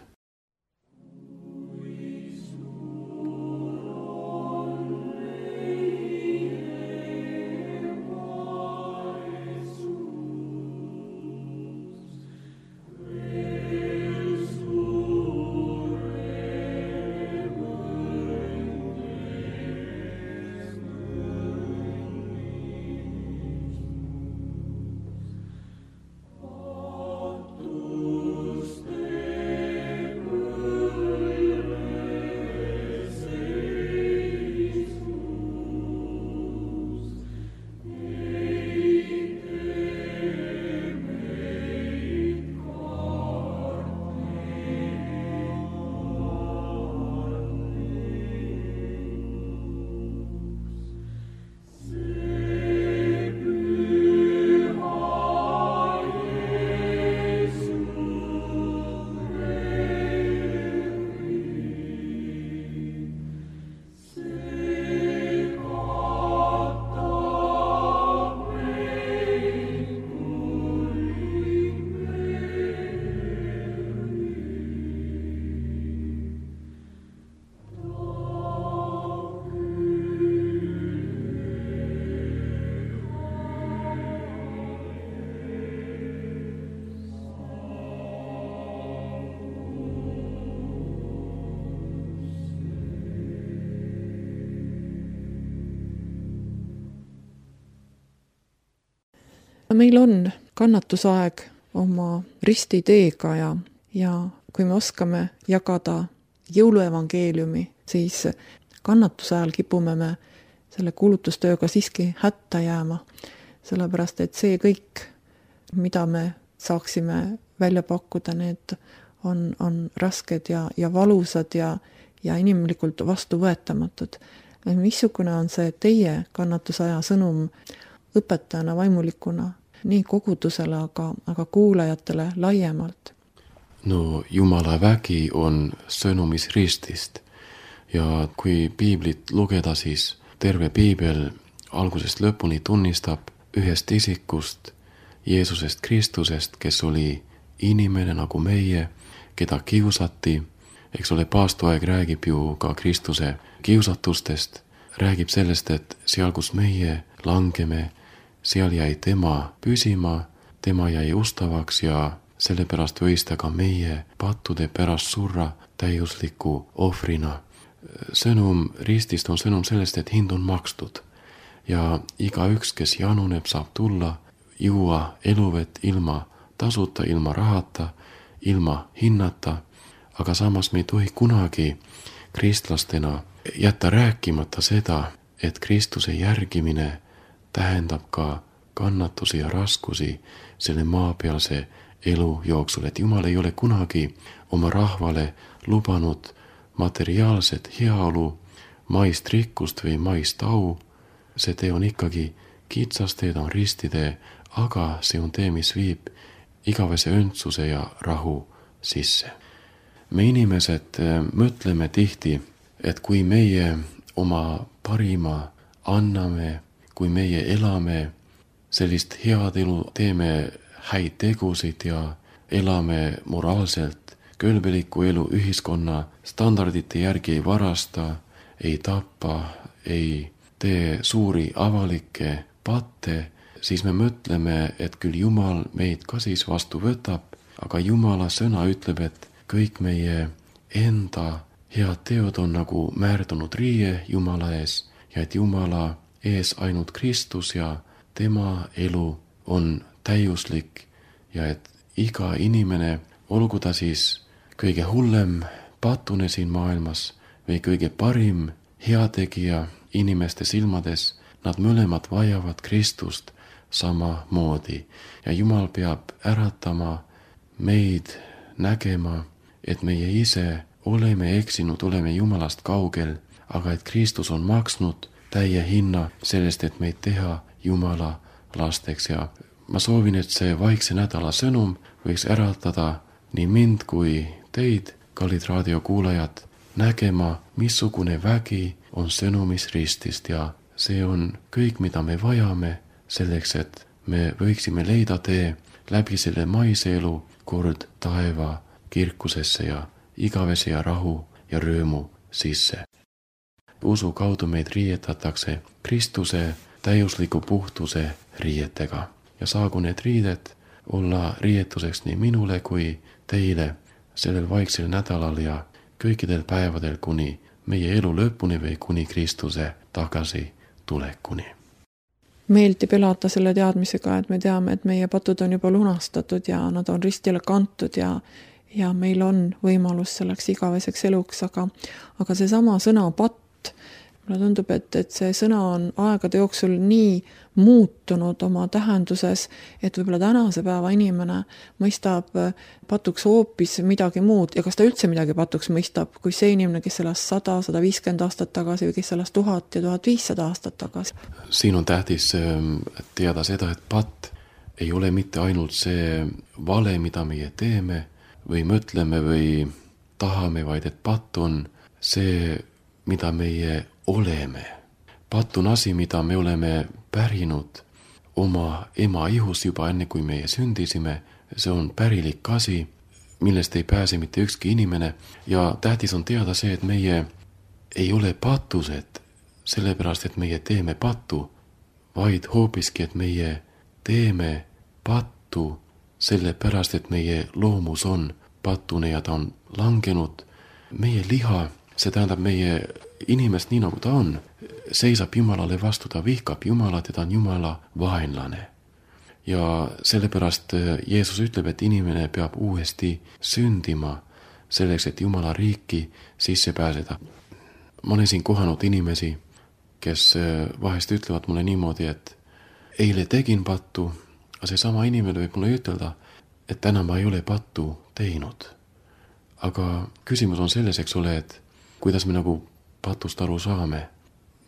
Meil on kannatusaeg oma ristiteega ja kui me oskame jagada jõuluevangeeliumi, siis kannatuse ajal kipume me selle kuulutustööga siiski hätta jääma, sellepärast et see kõik, mida me saaksime välja pakkuda, need on rasked ja valusad ja inimlikult vastuvõetamatud. Missugune on see teie kannatusaja sõnum õpetajana, vaimulikuna, nii kogudusele, aga kuulajatele laiemalt? No Jumala vägi on sõnumis ristist ja kui piiblit lugeda, siis terve piibel algusest lõpuni tunnistab ühest isikust, Jeesusest Kristusest, kes oli inimene nagu meie, keda kiusati. Eks ole, paastuaeg räägib ju ka Kristuse kiusatustest, räägib sellest, et seal, kus meie langeme, seal jäi tema püsima, tema jäi ustavaks ja sellepärast võis ta ka meie pattude pärast surra täiusliku ohvrina. Sõnum ristist on sõnum sellest, et hind on makstud. ja igaüks, kes januneb, saab tulla, juua eluvett ilma tasuta, ilma rahata, ilma hinnata, aga samas me ei tohi kunagi kristlastena jätta rääkimata seda, et Kristuse järgimine tähendab ka kannatusi ja raskusi selle maapealse elu jooksul, et Jumal ei ole kunagi oma rahvale lubanud materiaalset heaolu, maist rikkust või maist au. See tee on ikkagi kitsas tee, ta on ristitee, aga see on tee, mis viib igavese õndsuse ja rahu sisse. Me inimesed mõtleme tihti, et kui meie oma parima anname, kui meie elame sellist head elu, teeme häid tegusid ja elame moraalselt kõlbelikku elu, ühiskonna standardite järgi ei varasta, ei tapa, ei tee suuri avalikke patte, siis me mõtleme, et küll Jumal meid ka siis vastu võtab, aga Jumala sõna ütleb, et kõik meie enda head teod on nagu määrdunud riie Jumala ees ja et Jumala ees ainult Kristus ja tema elu on täiuslik ja et iga inimene, olgu ta siis kõige hullem patune siin maailmas või kõige parim heategija inimeste silmades, nad mõlemad vajavad Kristust samamoodi ja Jumal peab äratama meid nägema, et meie ise oleme eksinud, oleme Jumalast kaugel, aga et Kristus on maksnud täie hinna sellest, et meid teha Jumala lasteks ja ma soovin, et see vaikse nädala sõnum võiks äratada nii mind kui teid, kallid raadiokuulajad, nägema, missugune vägi on sõnumis ristist ja see on kõik, mida me vajame selleks, et me võiksime leida tee läbi selle maise elu kord taeva kirkusesse ja igavese ja rahu ja rõõmu sisse. Usu kaudu meid riietatakse Kristuse täiusliku puhtuse riietega ja saagu need riided olla riietuseks nii minule kui teile sellel vaiksel nädalal ja kõikidel päevadel kuni meie elu lõpuni või kuni Kristuse tagasi tulekuni. Meeldib elada selle teadmisega, et me teame, et meie patud on juba lunastatud ja nad on ristile kantud ja meil on võimalus selleks igaveseks eluks, aga seesama sõna patt, mulle tundub, et see sõna on aegade jooksul nii muutunud oma tähenduses, et võib-olla tänase päeva inimene mõistab patuks hoopis midagi muud ja kas ta üldse midagi patuks mõistab, kui see inimene, kes elas 100, 150 aastat tagasi või kes elas 1000 ja 1500 aastat tagasi. Siin on tähtis teada seda, et patt ei ole mitte ainult see vale, mida meie teeme või mõtleme või tahame, vaid et patt on see, mida meie oleme. Patt on asi, mida me oleme pärinud oma ema ihus juba enne, kui meie sündisime. See on pärilik asi, millest ei pääse mitte ükski inimene ja tähtis on teada see, et meie ei ole patused sellepärast, et meie teeme pattu, vaid hoopiski, et meie teeme pattu sellepärast, et meie loomus on patune ja ta on langenud. Meie liha, see tähendab meie inimest nii nagu ta on, seisab Jumalale vastu, ta vihkab Jumalat ja ta on Jumala vaenlane. Ja sellepärast Jeesus ütleb, et inimene peab uuesti sündima selleks, et Jumala riiki sisse pääseda. Ma olen siin kohanud inimesi, kes vahest ütlevad mulle niimoodi, et eile tegin pattu, aga see sama inimene võib mulle ütelda, et täna ma ei ole pattu teinud. Aga küsimus on selles, eks ole, et kuidas me nagu patust aru saame.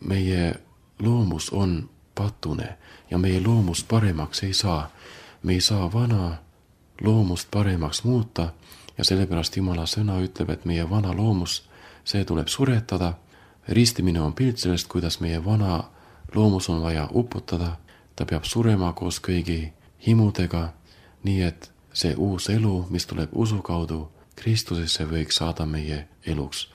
Meie loomus on patune ja meie loomust paremaks ei saa. Me ei saa vana loomust paremaks muuta ja sellepärast Jumala sõna ütleb, et meie vana loomus, see tuleb suretada. Ristimine on pilt sellest, kuidas meie vana loomus on vaja uputada. Ta peab surema koos kõigi himudega, nii et see uus elu, mis tuleb usu kaudu Kristusesse, võiks saada meie eluks.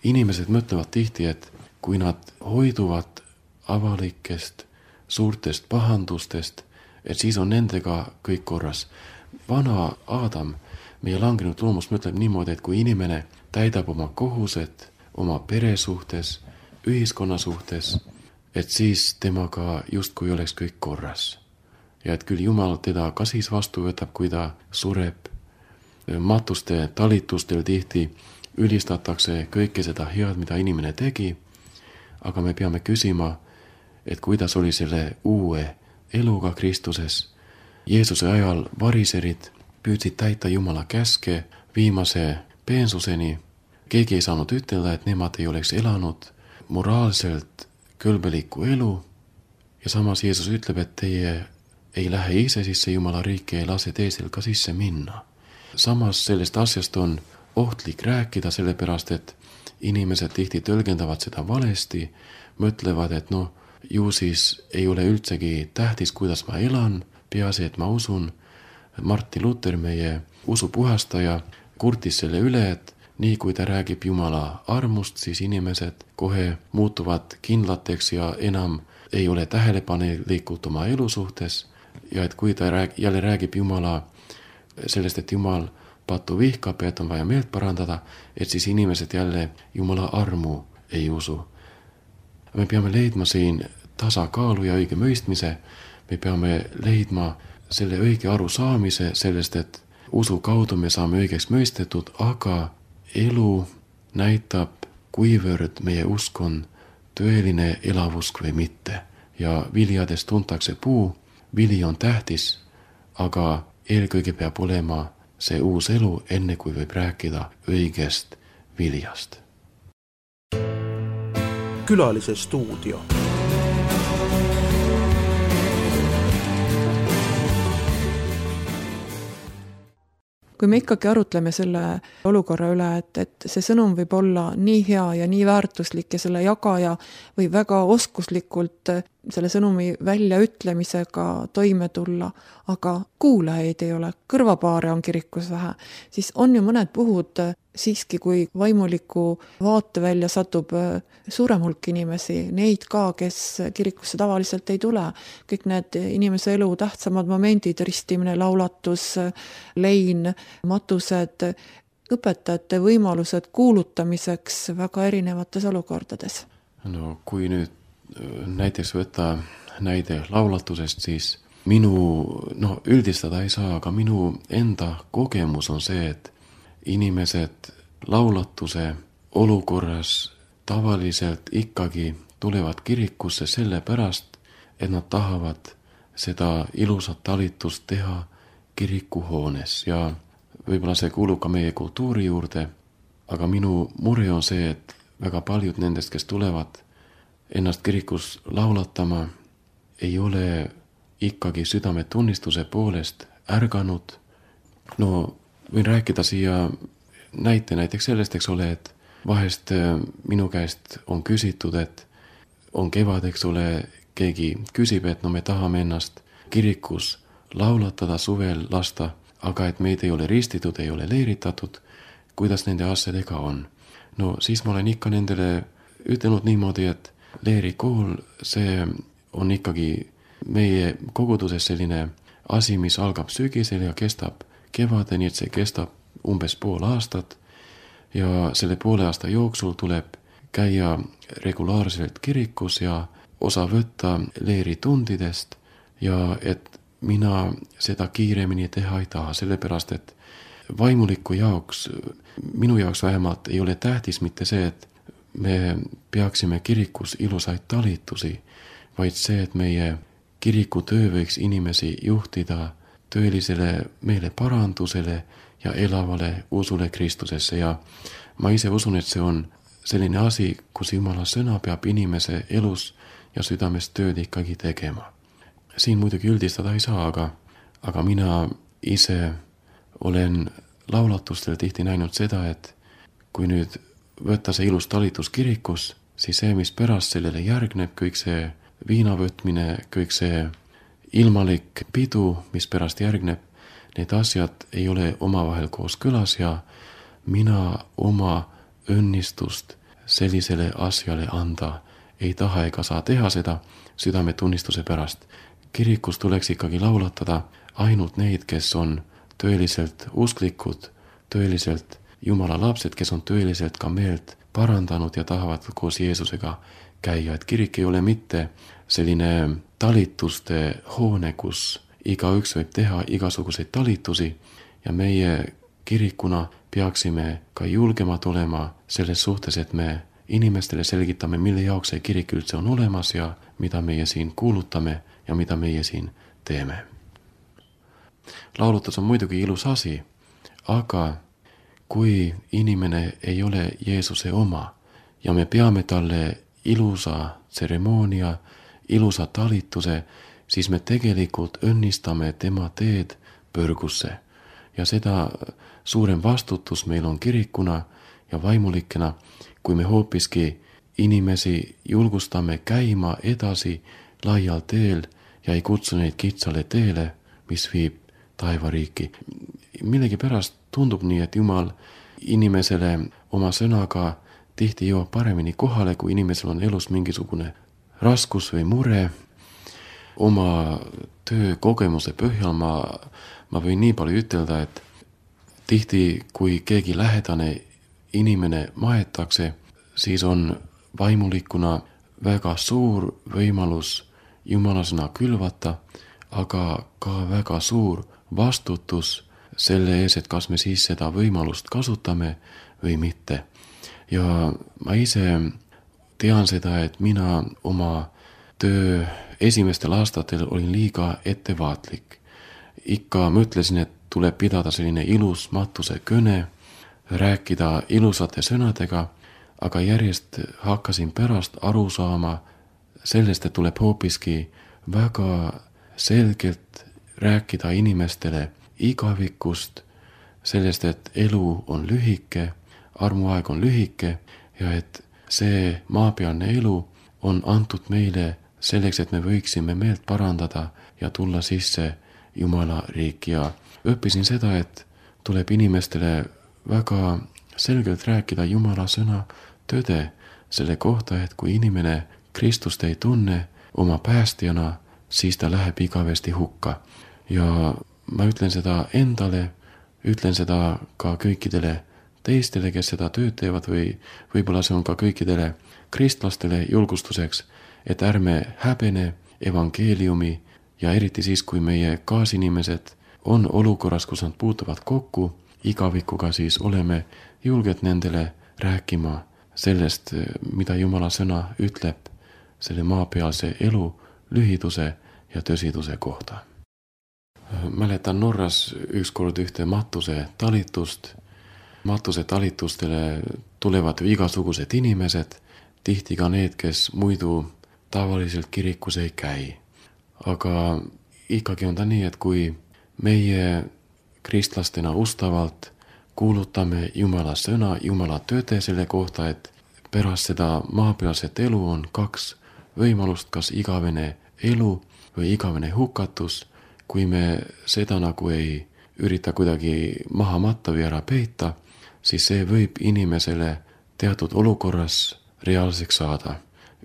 Inimesed mõtlevad tihti, et kui nad hoiduvad avalikest suurtest pahandustest, et siis on nendega kõik korras. Vana Aadam, meie langenud loomus, mõtleb niimoodi, et kui inimene täidab oma kohused oma pere suhtes, ühiskonna suhtes, et siis temaga justkui oleks kõik korras. Ja et küll Jumal teda ka siis vastu võtab, kui ta sureb. Matuste talitustel tihti ülistatakse kõike seda head, mida inimene tegi, aga me peame küsima, et kuidas oli selle uue eluga Kristuses. Jeesuse ajal variserid püüdsid täita Jumala käske viimase peensuseni. Keegi ei saanud ütelda, et nemad ei oleks elanud moraalselt kõlbelikku elu. Ja samas Jeesus ütleb, et teie ei lähe ise sisse Jumala riiki, ei lase teisel ka sisse minna. Samas sellest asjast on ohtlik rääkida, sellepärast et inimesed tihti tõlgendavad seda valesti, mõtlevad, et ju siis ei ole üldsegi tähtis, kuidas ma elan, peaasi, et ma usun. Martin Luther, meie usupuhastaja, kurtis selle üle, et nii kui ta räägib Jumala armust, siis inimesed kohe muutuvad kindlateks ja enam ei ole tähelepanelikud oma elu suhtes. Ja et kui ta jälle räägib Jumala sellest, et Jumal pattu vihkab ja et on vaja meelt parandada, et siis inimesed jälle Jumala armu ei usu. Me peame leidma siin tasakaalu ja õige mõistmise. Me peame leidma selle õige arusaamise sellest, et usu kaudu me saame õigeks mõistetud, aga elu näitab, kuivõrd meie usk on tõeline elavusk või mitte. Ja viljades tuntakse puu, vili on tähtis, aga eelkõige peab olema see uus elu, enne kui võib rääkida õigest viljast. Külalise stuudio. Kui me ikkagi arutleme selle olukorra üle, et see sõnum võib olla nii hea ja nii väärtuslik ja selle jagaja või väga oskuslikult selle sõnumi väljaütlemisega toime tulla, aga kuulajaid ei ole, kõrvapaare on kirikus vähe, siis on ju mõned puhud siiski, kui vaimuliku vaatevälja satub suurem hulk inimesi, neid ka, kes kirikusse tavaliselt ei tule. Kõik need inimese elu tähtsamad momendid, ristimine, laulatus, lein, matused, õpetajate võimalused kuulutamiseks väga erinevates olukordades. No kui nüüd näiteks võtta näide laulatusest, siis üldistada ei saa, aga minu enda kogemus on see, et inimesed laulatuse olukorras tavaliselt ikkagi tulevad kirikusse sellepärast, et nad tahavad seda ilusat talitust teha kirikuhoones ja võib-olla see kuulub ka meie kultuuri juurde, aga minu mure on see, et väga paljud nendest, kes tulevad ennast kirikus laulatama, ei ole ikkagi südametunnistuse poolest ärganud. Võin rääkida siia näiteks sellest, eks ole, et vahest minu käest on küsitud, et on kevad, eks ole, keegi küsib, et me tahame ennast kirikus laulatada, suvel lasta, aga et meid ei ole ristitud, ei ole leeritatud, kuidas nende asjadega on. Siis ma olen ikka nendele ütelnud niimoodi, et leerikool, see on ikkagi meie koguduses selline asi, mis algab sügisel ja kestab kevadeni, et see kestab umbes pool aastat ja selle poole aasta jooksul tuleb käia regulaarselt kirikus ja osa võtta leeritundidest ja et mina seda kiiremini teha ei taha, sellepärast et vaimuliku jaoks, minu jaoks vähemalt ei ole tähtis mitte see, et me peaksime kirikus ilusaid talitusi, vaid see, et meie kirikutöö võiks inimesi juhtida tõelisele meeleparandusele ja elavale usule Kristusesse ja ma ise usun, et see on selline asi, kus Jumala sõna peab inimese elus ja südames tööd ikkagi tegema. Siin muidugi üldistada ei saa, aga mina ise olen laulatustel tihti näinud seda, et kui nüüd võtta see ilus talitus kirikus, siis see, mis pärast sellele järgneb, kõik see viinavõtmine, kõik see ilmalik pidu, mis pärast järgneb, need asjad ei ole omavahel koos kõlas ja mina oma õnnistust sellisele asjale anda ei taha ega saa teha seda südametunnistuse pärast. Kirikus tuleks ikkagi laulatada ainult neid, kes on tõeliselt usklikud, tõeliselt Jumala lapsed, kes on tõeliselt ka meelt parandanud ja tahavad koos Jeesusega käia, et kirik ei ole mitte selline talituste hoone, kus igaüks võib teha igasuguseid talitusi ja meie kirikuna peaksime ka julgemad olema selles suhtes, et me inimestele selgitame, mille jaoks see kirik üldse on olemas ja mida meie siin kuulutame ja mida meie siin teeme. Laulutus on muidugi ilus asi, aga kui inimene ei ole Jeesuse oma ja me peame talle ilusa tseremoonia, ilusa talituse, siis me tegelikult õnnistame tema teed põrgusse. Ja seda suurem vastutus meil on kirikuna ja vaimulikena, kui me hoopiski inimesi julgustame käima edasi laial teel ja ei kutsu neid kitsale teele, mis viib taevariiki. Millegipärast tundub nii, et Jumal inimesele oma sõnaga tihti jõuab paremini kohale, kui inimesel on elus mingisugune raskus või mure. Oma töökogemuse põhjal ma võin nii palju ütelda, et tihti, kui keegi lähedane inimene maetakse, siis on vaimulikuna väga suur võimalus Jumala sõna külvata, aga ka väga suur vastutus selle ees, et kas me siis seda võimalust kasutame või mitte. Ja ma ise tean seda, et mina oma töö esimestel aastatel olin liiga ettevaatlik. Ikka mõtlesin, et tuleb pidada selline ilus matuse kõne, rääkida ilusate sõnadega, aga järjest hakkasin pärast aru saama sellest, et tuleb hoopiski väga selgelt rääkida inimestele igavikust, sellest, et elu on lühike, armuaeg on lühike ja et see maapealne elu on antud meile selleks, et me võiksime meelt parandada ja tulla sisse Jumala riiki. Ja õppisin seda, et tuleb inimestele väga selgelt rääkida Jumala sõna tõde selle kohta, et kui inimene Kristust ei tunne oma päästjana, siis ta läheb igavesti hukka. Ja ma ütlen seda endale, ütlen seda ka kõikidele teistele, kes seda tööd teevad või võib-olla see on ka kõikidele kristlastele julgustuseks, et ärme häbene evangeeliumi ja eriti siis, kui meie kaasinimesed on olukorras, kus nad puutuvad kokku igavikuga, siis oleme julged nendele rääkima sellest, mida Jumala sõna ütleb selle maapealse elu lühiduse ja tõsiduse kohta. Mäletan Norras ükskord ühte matuse talitust. Matuse talitustele tulevad igasugused inimesed, tihti ka need, kes muidu tavaliselt kirikus ei käi. Aga ikkagi on ta nii, et kui meie kristlastena ustavalt kuulutame Jumala sõna, Jumala tõde selle kohta, et pärast seda maapealset elu on kaks võimalust, kas igavene elu või igavene hukatus, kui me seda nagu ei ürita kuidagi maha matta või ära peita, siis see võib inimesele teatud olukorras reaalseks saada.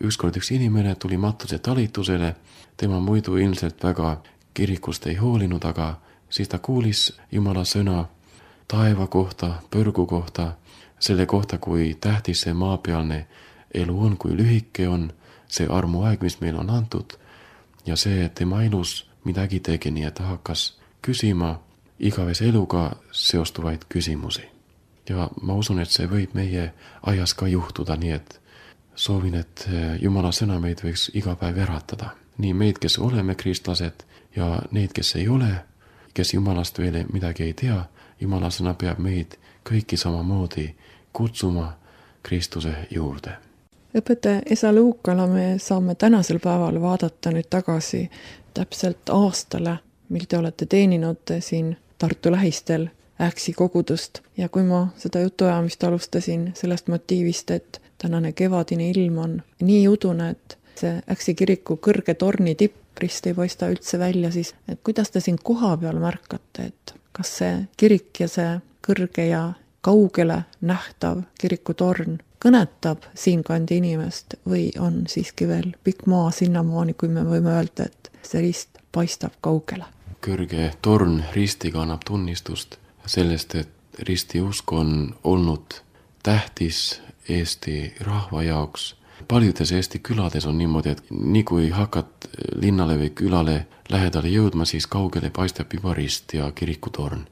Ükskord üks inimene tuli matuse talitusele, tema muidu ilmselt väga kirikust ei hoolinud, aga siis ta kuulis Jumala sõna taeva kohta, põrgu kohta, selle kohta, kui tähtis see maapealne elu on, kui lühike on see armuaeg, mis meil on antud, ja see, et tema elus midagi tegi, nii et ta hakkas küsima igavese eluga seostuvaid küsimusi. Ja ma usun, et see võib meie ajas ka juhtuda, nii et soovin, et Jumala sõna meid võiks iga päev äratada. Nii meid, kes oleme kristlased ja neid, kes ei ole, kes Jumalast veel midagi ei tea, Jumala sõna peab meid kõiki samamoodi kutsuma Kristuse juurde. Õpetaja Esa Luukala me saame tänasel päeval vaadata nüüd tagasi täpselt aastale, mil te olete teeninud siin Tartu lähistel Äksi kogudust. Ja kui ma seda jutuajamist alustasin sellest motiivist, et tänane kevadine ilm on nii udune, et see Äksi kiriku kõrge torni tipprist ei paista üldse välja, siis et kuidas te siin koha peal märkate, et kas see kirik ja see kõrge ja kaugele nähtav kirikutorn kõnetab siinkandi inimest või on siiski veel pikk maa sinnamaani, kui me võime öelda, et see rist paistab kaugele? Kõrge torn ristiga annab tunnistust sellest, et ristiusk on olnud tähtis Eesti rahva jaoks paljudes Eesti külades on niimoodi, et nii kui hakkad linnale või külale lähedale jõudma, siis kaugele paistab juba rist ja kirikutorn.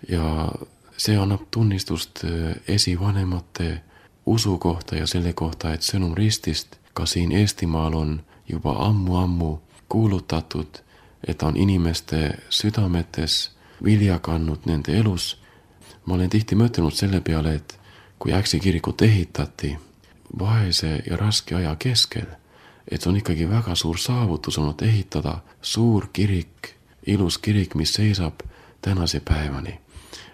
Ja see annab tunnistust esivanemate usu kohta ja selle kohta, et sõnum ristist ka siin Eestimaal on juba ammu kuulutatud, et on inimeste südametes vilja kandnud nende elus. Ma olen tihti mõtelnud selle peale, et kui Äksi kirikut ehitati vaese ja raske aja keskel, et see on ikkagi väga suur saavutus olnud ehitada suur kirik, ilus kirik, mis seisab tänase päevani.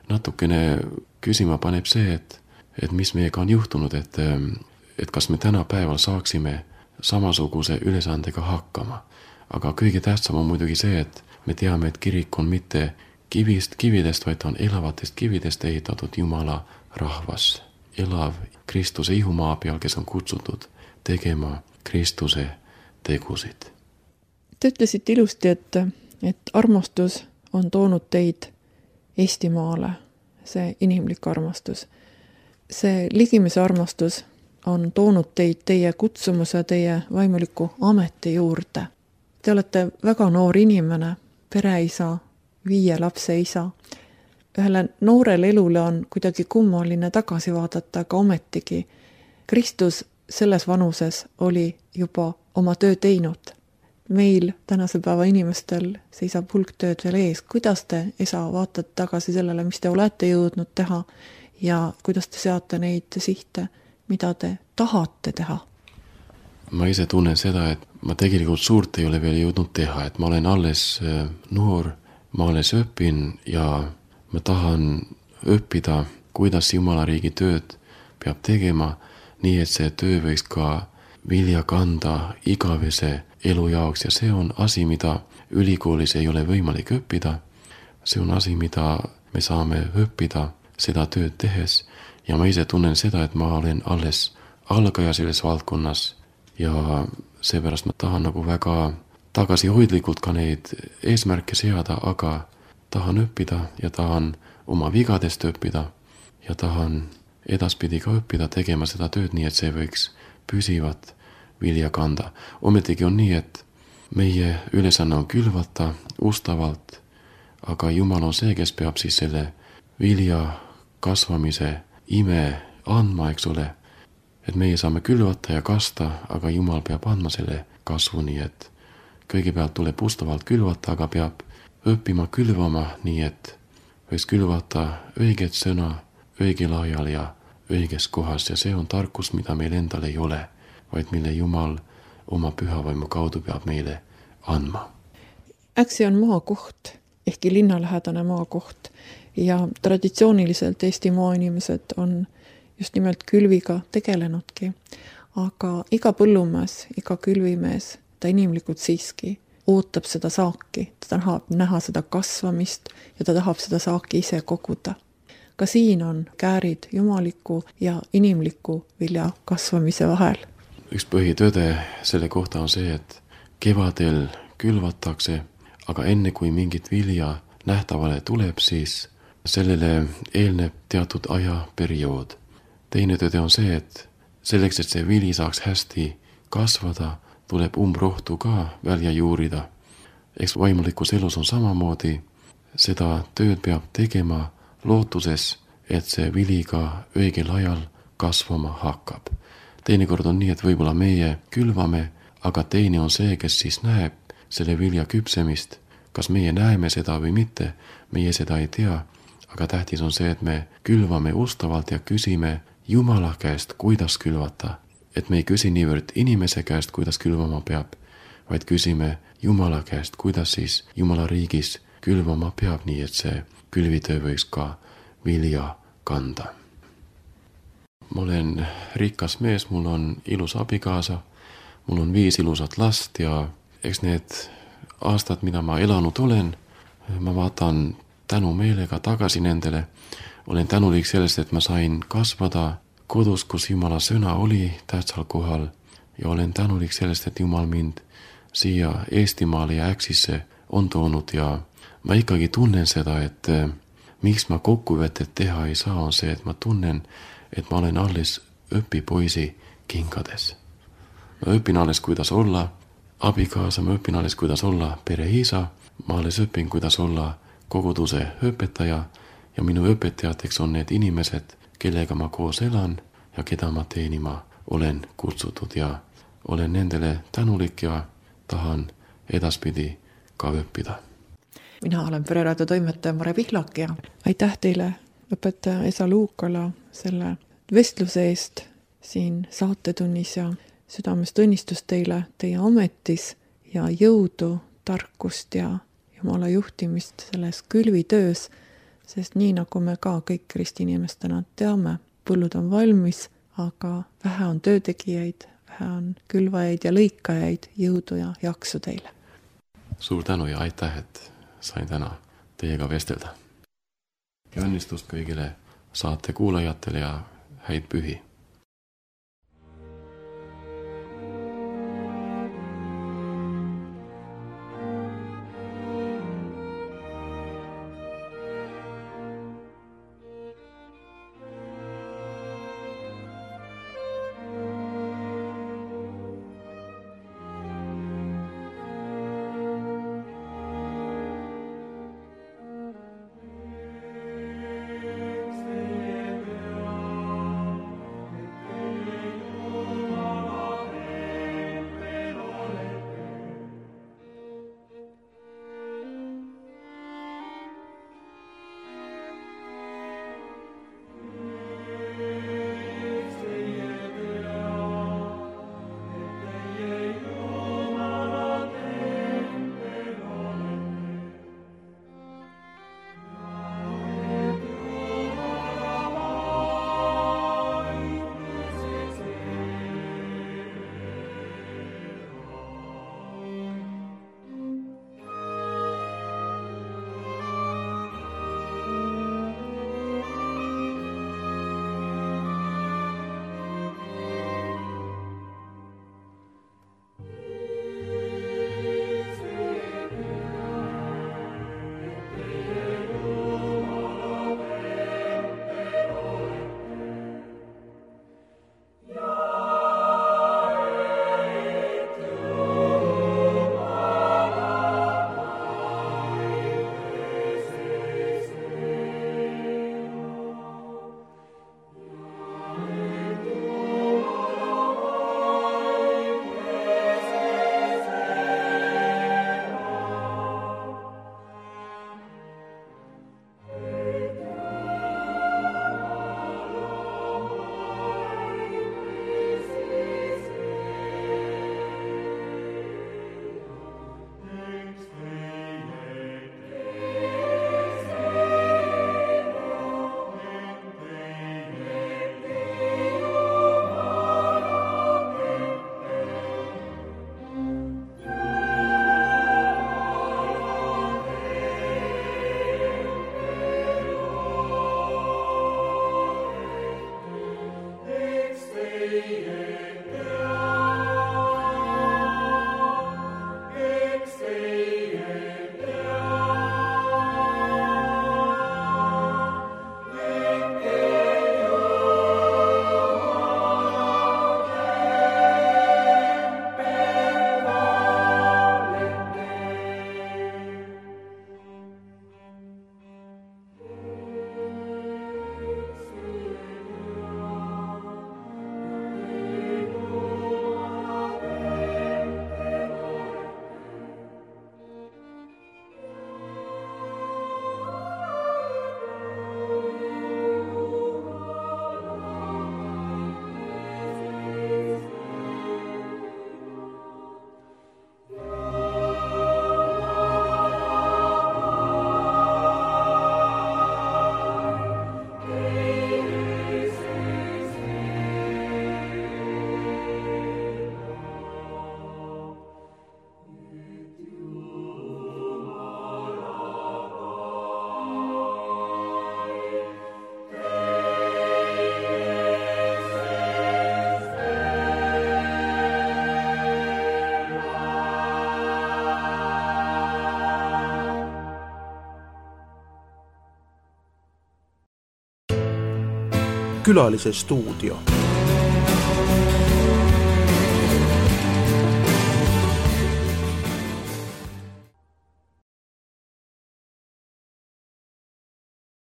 Natukene küsima paneb see, et mis meiega on juhtunud, et kas me tänapäeval saaksime samasuguse ülesandega hakkama. Aga kõige tähtsam on muidugi see, et me teame, et kirik on mitte kividest, vaid on elavatest kividest ehitatud Jumala rahvas. Elav Kristuse ihumaa peal, kes on kutsutud tegema Kristuse tegusid. Te ütlesite ilusti, et armastus on toonud teid Eestimaale, see inimlik armastus. See ligimese armastus on toonud teid teie kutsumuse, teie vaimuliku ameti juurde. Te olete väga noor inimene, pereisa, 5 lapse isa. Ühele noorele elule on kuidagi kummaline tagasi vaadata, aga ometigi Kristus selles vanuses oli juba oma töö teinud. Meil tänase päeva inimestel seisab hulk tööd veel ees. Kuidas te, isa, vaatate tagasi sellele, mis te olete jõudnud teha ja kuidas te seate neid sihte, mida te tahate teha? Ma ise tunnen seda, et ma tegelikult suurt ei ole veel jõudnud teha, et ma olen alles noor, ma alles õpin ja ma tahan õppida, kuidas Jumala riigi tööd peab tegema, nii et see töö võiks ka vilja kanda igavese elu jaoks ja see on asi, mida ülikoolis ei ole võimalik õppida. See on asi, mida me saame õppida seda tööd tehes ja ma ise tunnen seda, et ma olen alles algaja selles valdkonnas ja seepärast ma tahan nagu väga tagasihoidlikult ka neid eesmärke seada, aga tahan õppida ja tahan oma vigadest õppida ja tahan edaspidi ka õppida tegema seda tööd nii, et see võiks püsivat vilja kanda. Ometigi on nii, et meie ülesanne on külvata ustavalt, aga Jumal on see, kes peab siis selle vilja kasvamise ime andma, eks ole. Et meie saame külvata ja kasta, aga Jumal peab andma selle kasvu nii, et kõigepealt tuleb ustavalt külvata, aga peab õppima külvama nii, et võiks külvata õiget sõna õigel ajal ja õiges kohas ja see on tarkus, mida meil endal ei ole, vaid mille Jumal oma pühavaimu kaudu peab meile andma. Äksi on maakoht, ehkki linnalähedane maakoht ja traditsiooniliselt Eesti maainimesed on just nimelt külviga tegelenudki, aga iga põllumees, iga külvimees, ta inimlikult siiski ootab seda saaki, ta tahab näha seda kasvamist ja ta tahab seda saaki ise koguda. Ka siin on käärid jumaliku ja inimliku vilja kasvamise vahel. Üks põhitõde selle kohta on see, et kevadel külvatakse, aga enne kui mingit vilja nähtavale tuleb, siis sellele eelneb teatud ajaperiood. Teine tõde on see, et selleks, et see vili saaks hästi kasvada, tuleb umbrohtu ka välja juurida. Eks vaimulikus elus on samamoodi, seda tööd peab tegema lootuses, et see vili ka õigel ajal kasvama hakkab. Teinekord on nii, et võib-olla meie külvame, aga teine on see, kes siis näeb selle vilja küpsemist. Kas meie näeme seda või mitte, meie seda ei tea, aga tähtis on see, et me külvame ustavalt ja küsime Jumala käest, kuidas külvata. Et me ei küsi niivõrd inimese käest, kuidas külvama peab, vaid küsime Jumala käest, kuidas siis Jumala riigis külvama peab, nii et see külvitöö võiks ka vilja kanda. Ma olen rikas mees, mul on ilus abikaasa, mul on 5 ilusat last ja eks need aastad, mida ma elanud olen, ma vaatan tänumeelega tagasi nendele. Olen tänulik sellest, et ma sain kasvada kodus, kus Jumala sõna oli tähtsal kohal ja olen tänulik sellest, et Jumal mind siia Eestimaale ja Äksisse on toonud ja ma ikkagi tunnen seda, et miks ma kokkuvõtet teha ei saa, on see, et ma tunnen, et ma olen alles õpipoisi kingades. Ma õpin alles, kuidas olla abikaasa, ma õpin alles, kuidas olla pereisa, ma alles õpin, kuidas olla koguduse õpetaja ja minu õpetajateks on need inimesed, kellega ma koos elan ja keda ma teenima olen kutsutud ja olen nendele tänulik ja tahan edaspidi ka õppida. Mina olen Pereraadio toimetaja Mare Pihlak ja aitäh teile, õpetaja Esa Luukala, selle vestluse eest siin saatetunnis ja südamest õnnistus teile teie ametis ja jõudu, tarkust ja Jumala juhtimist selles külvitöös, sest nii nagu me ka kõik ristiinimestena teame, põllud on valmis, aga vähe on töötegijaid, vähe on külvajaid ja lõikajaid, jõudu ja jaksu teile. Suur tänu ja aitäh, et sain täna teiega vestelda. Ja õnnistust kõigile saate kuulajatele ja häid pühi. Külalise stuudio.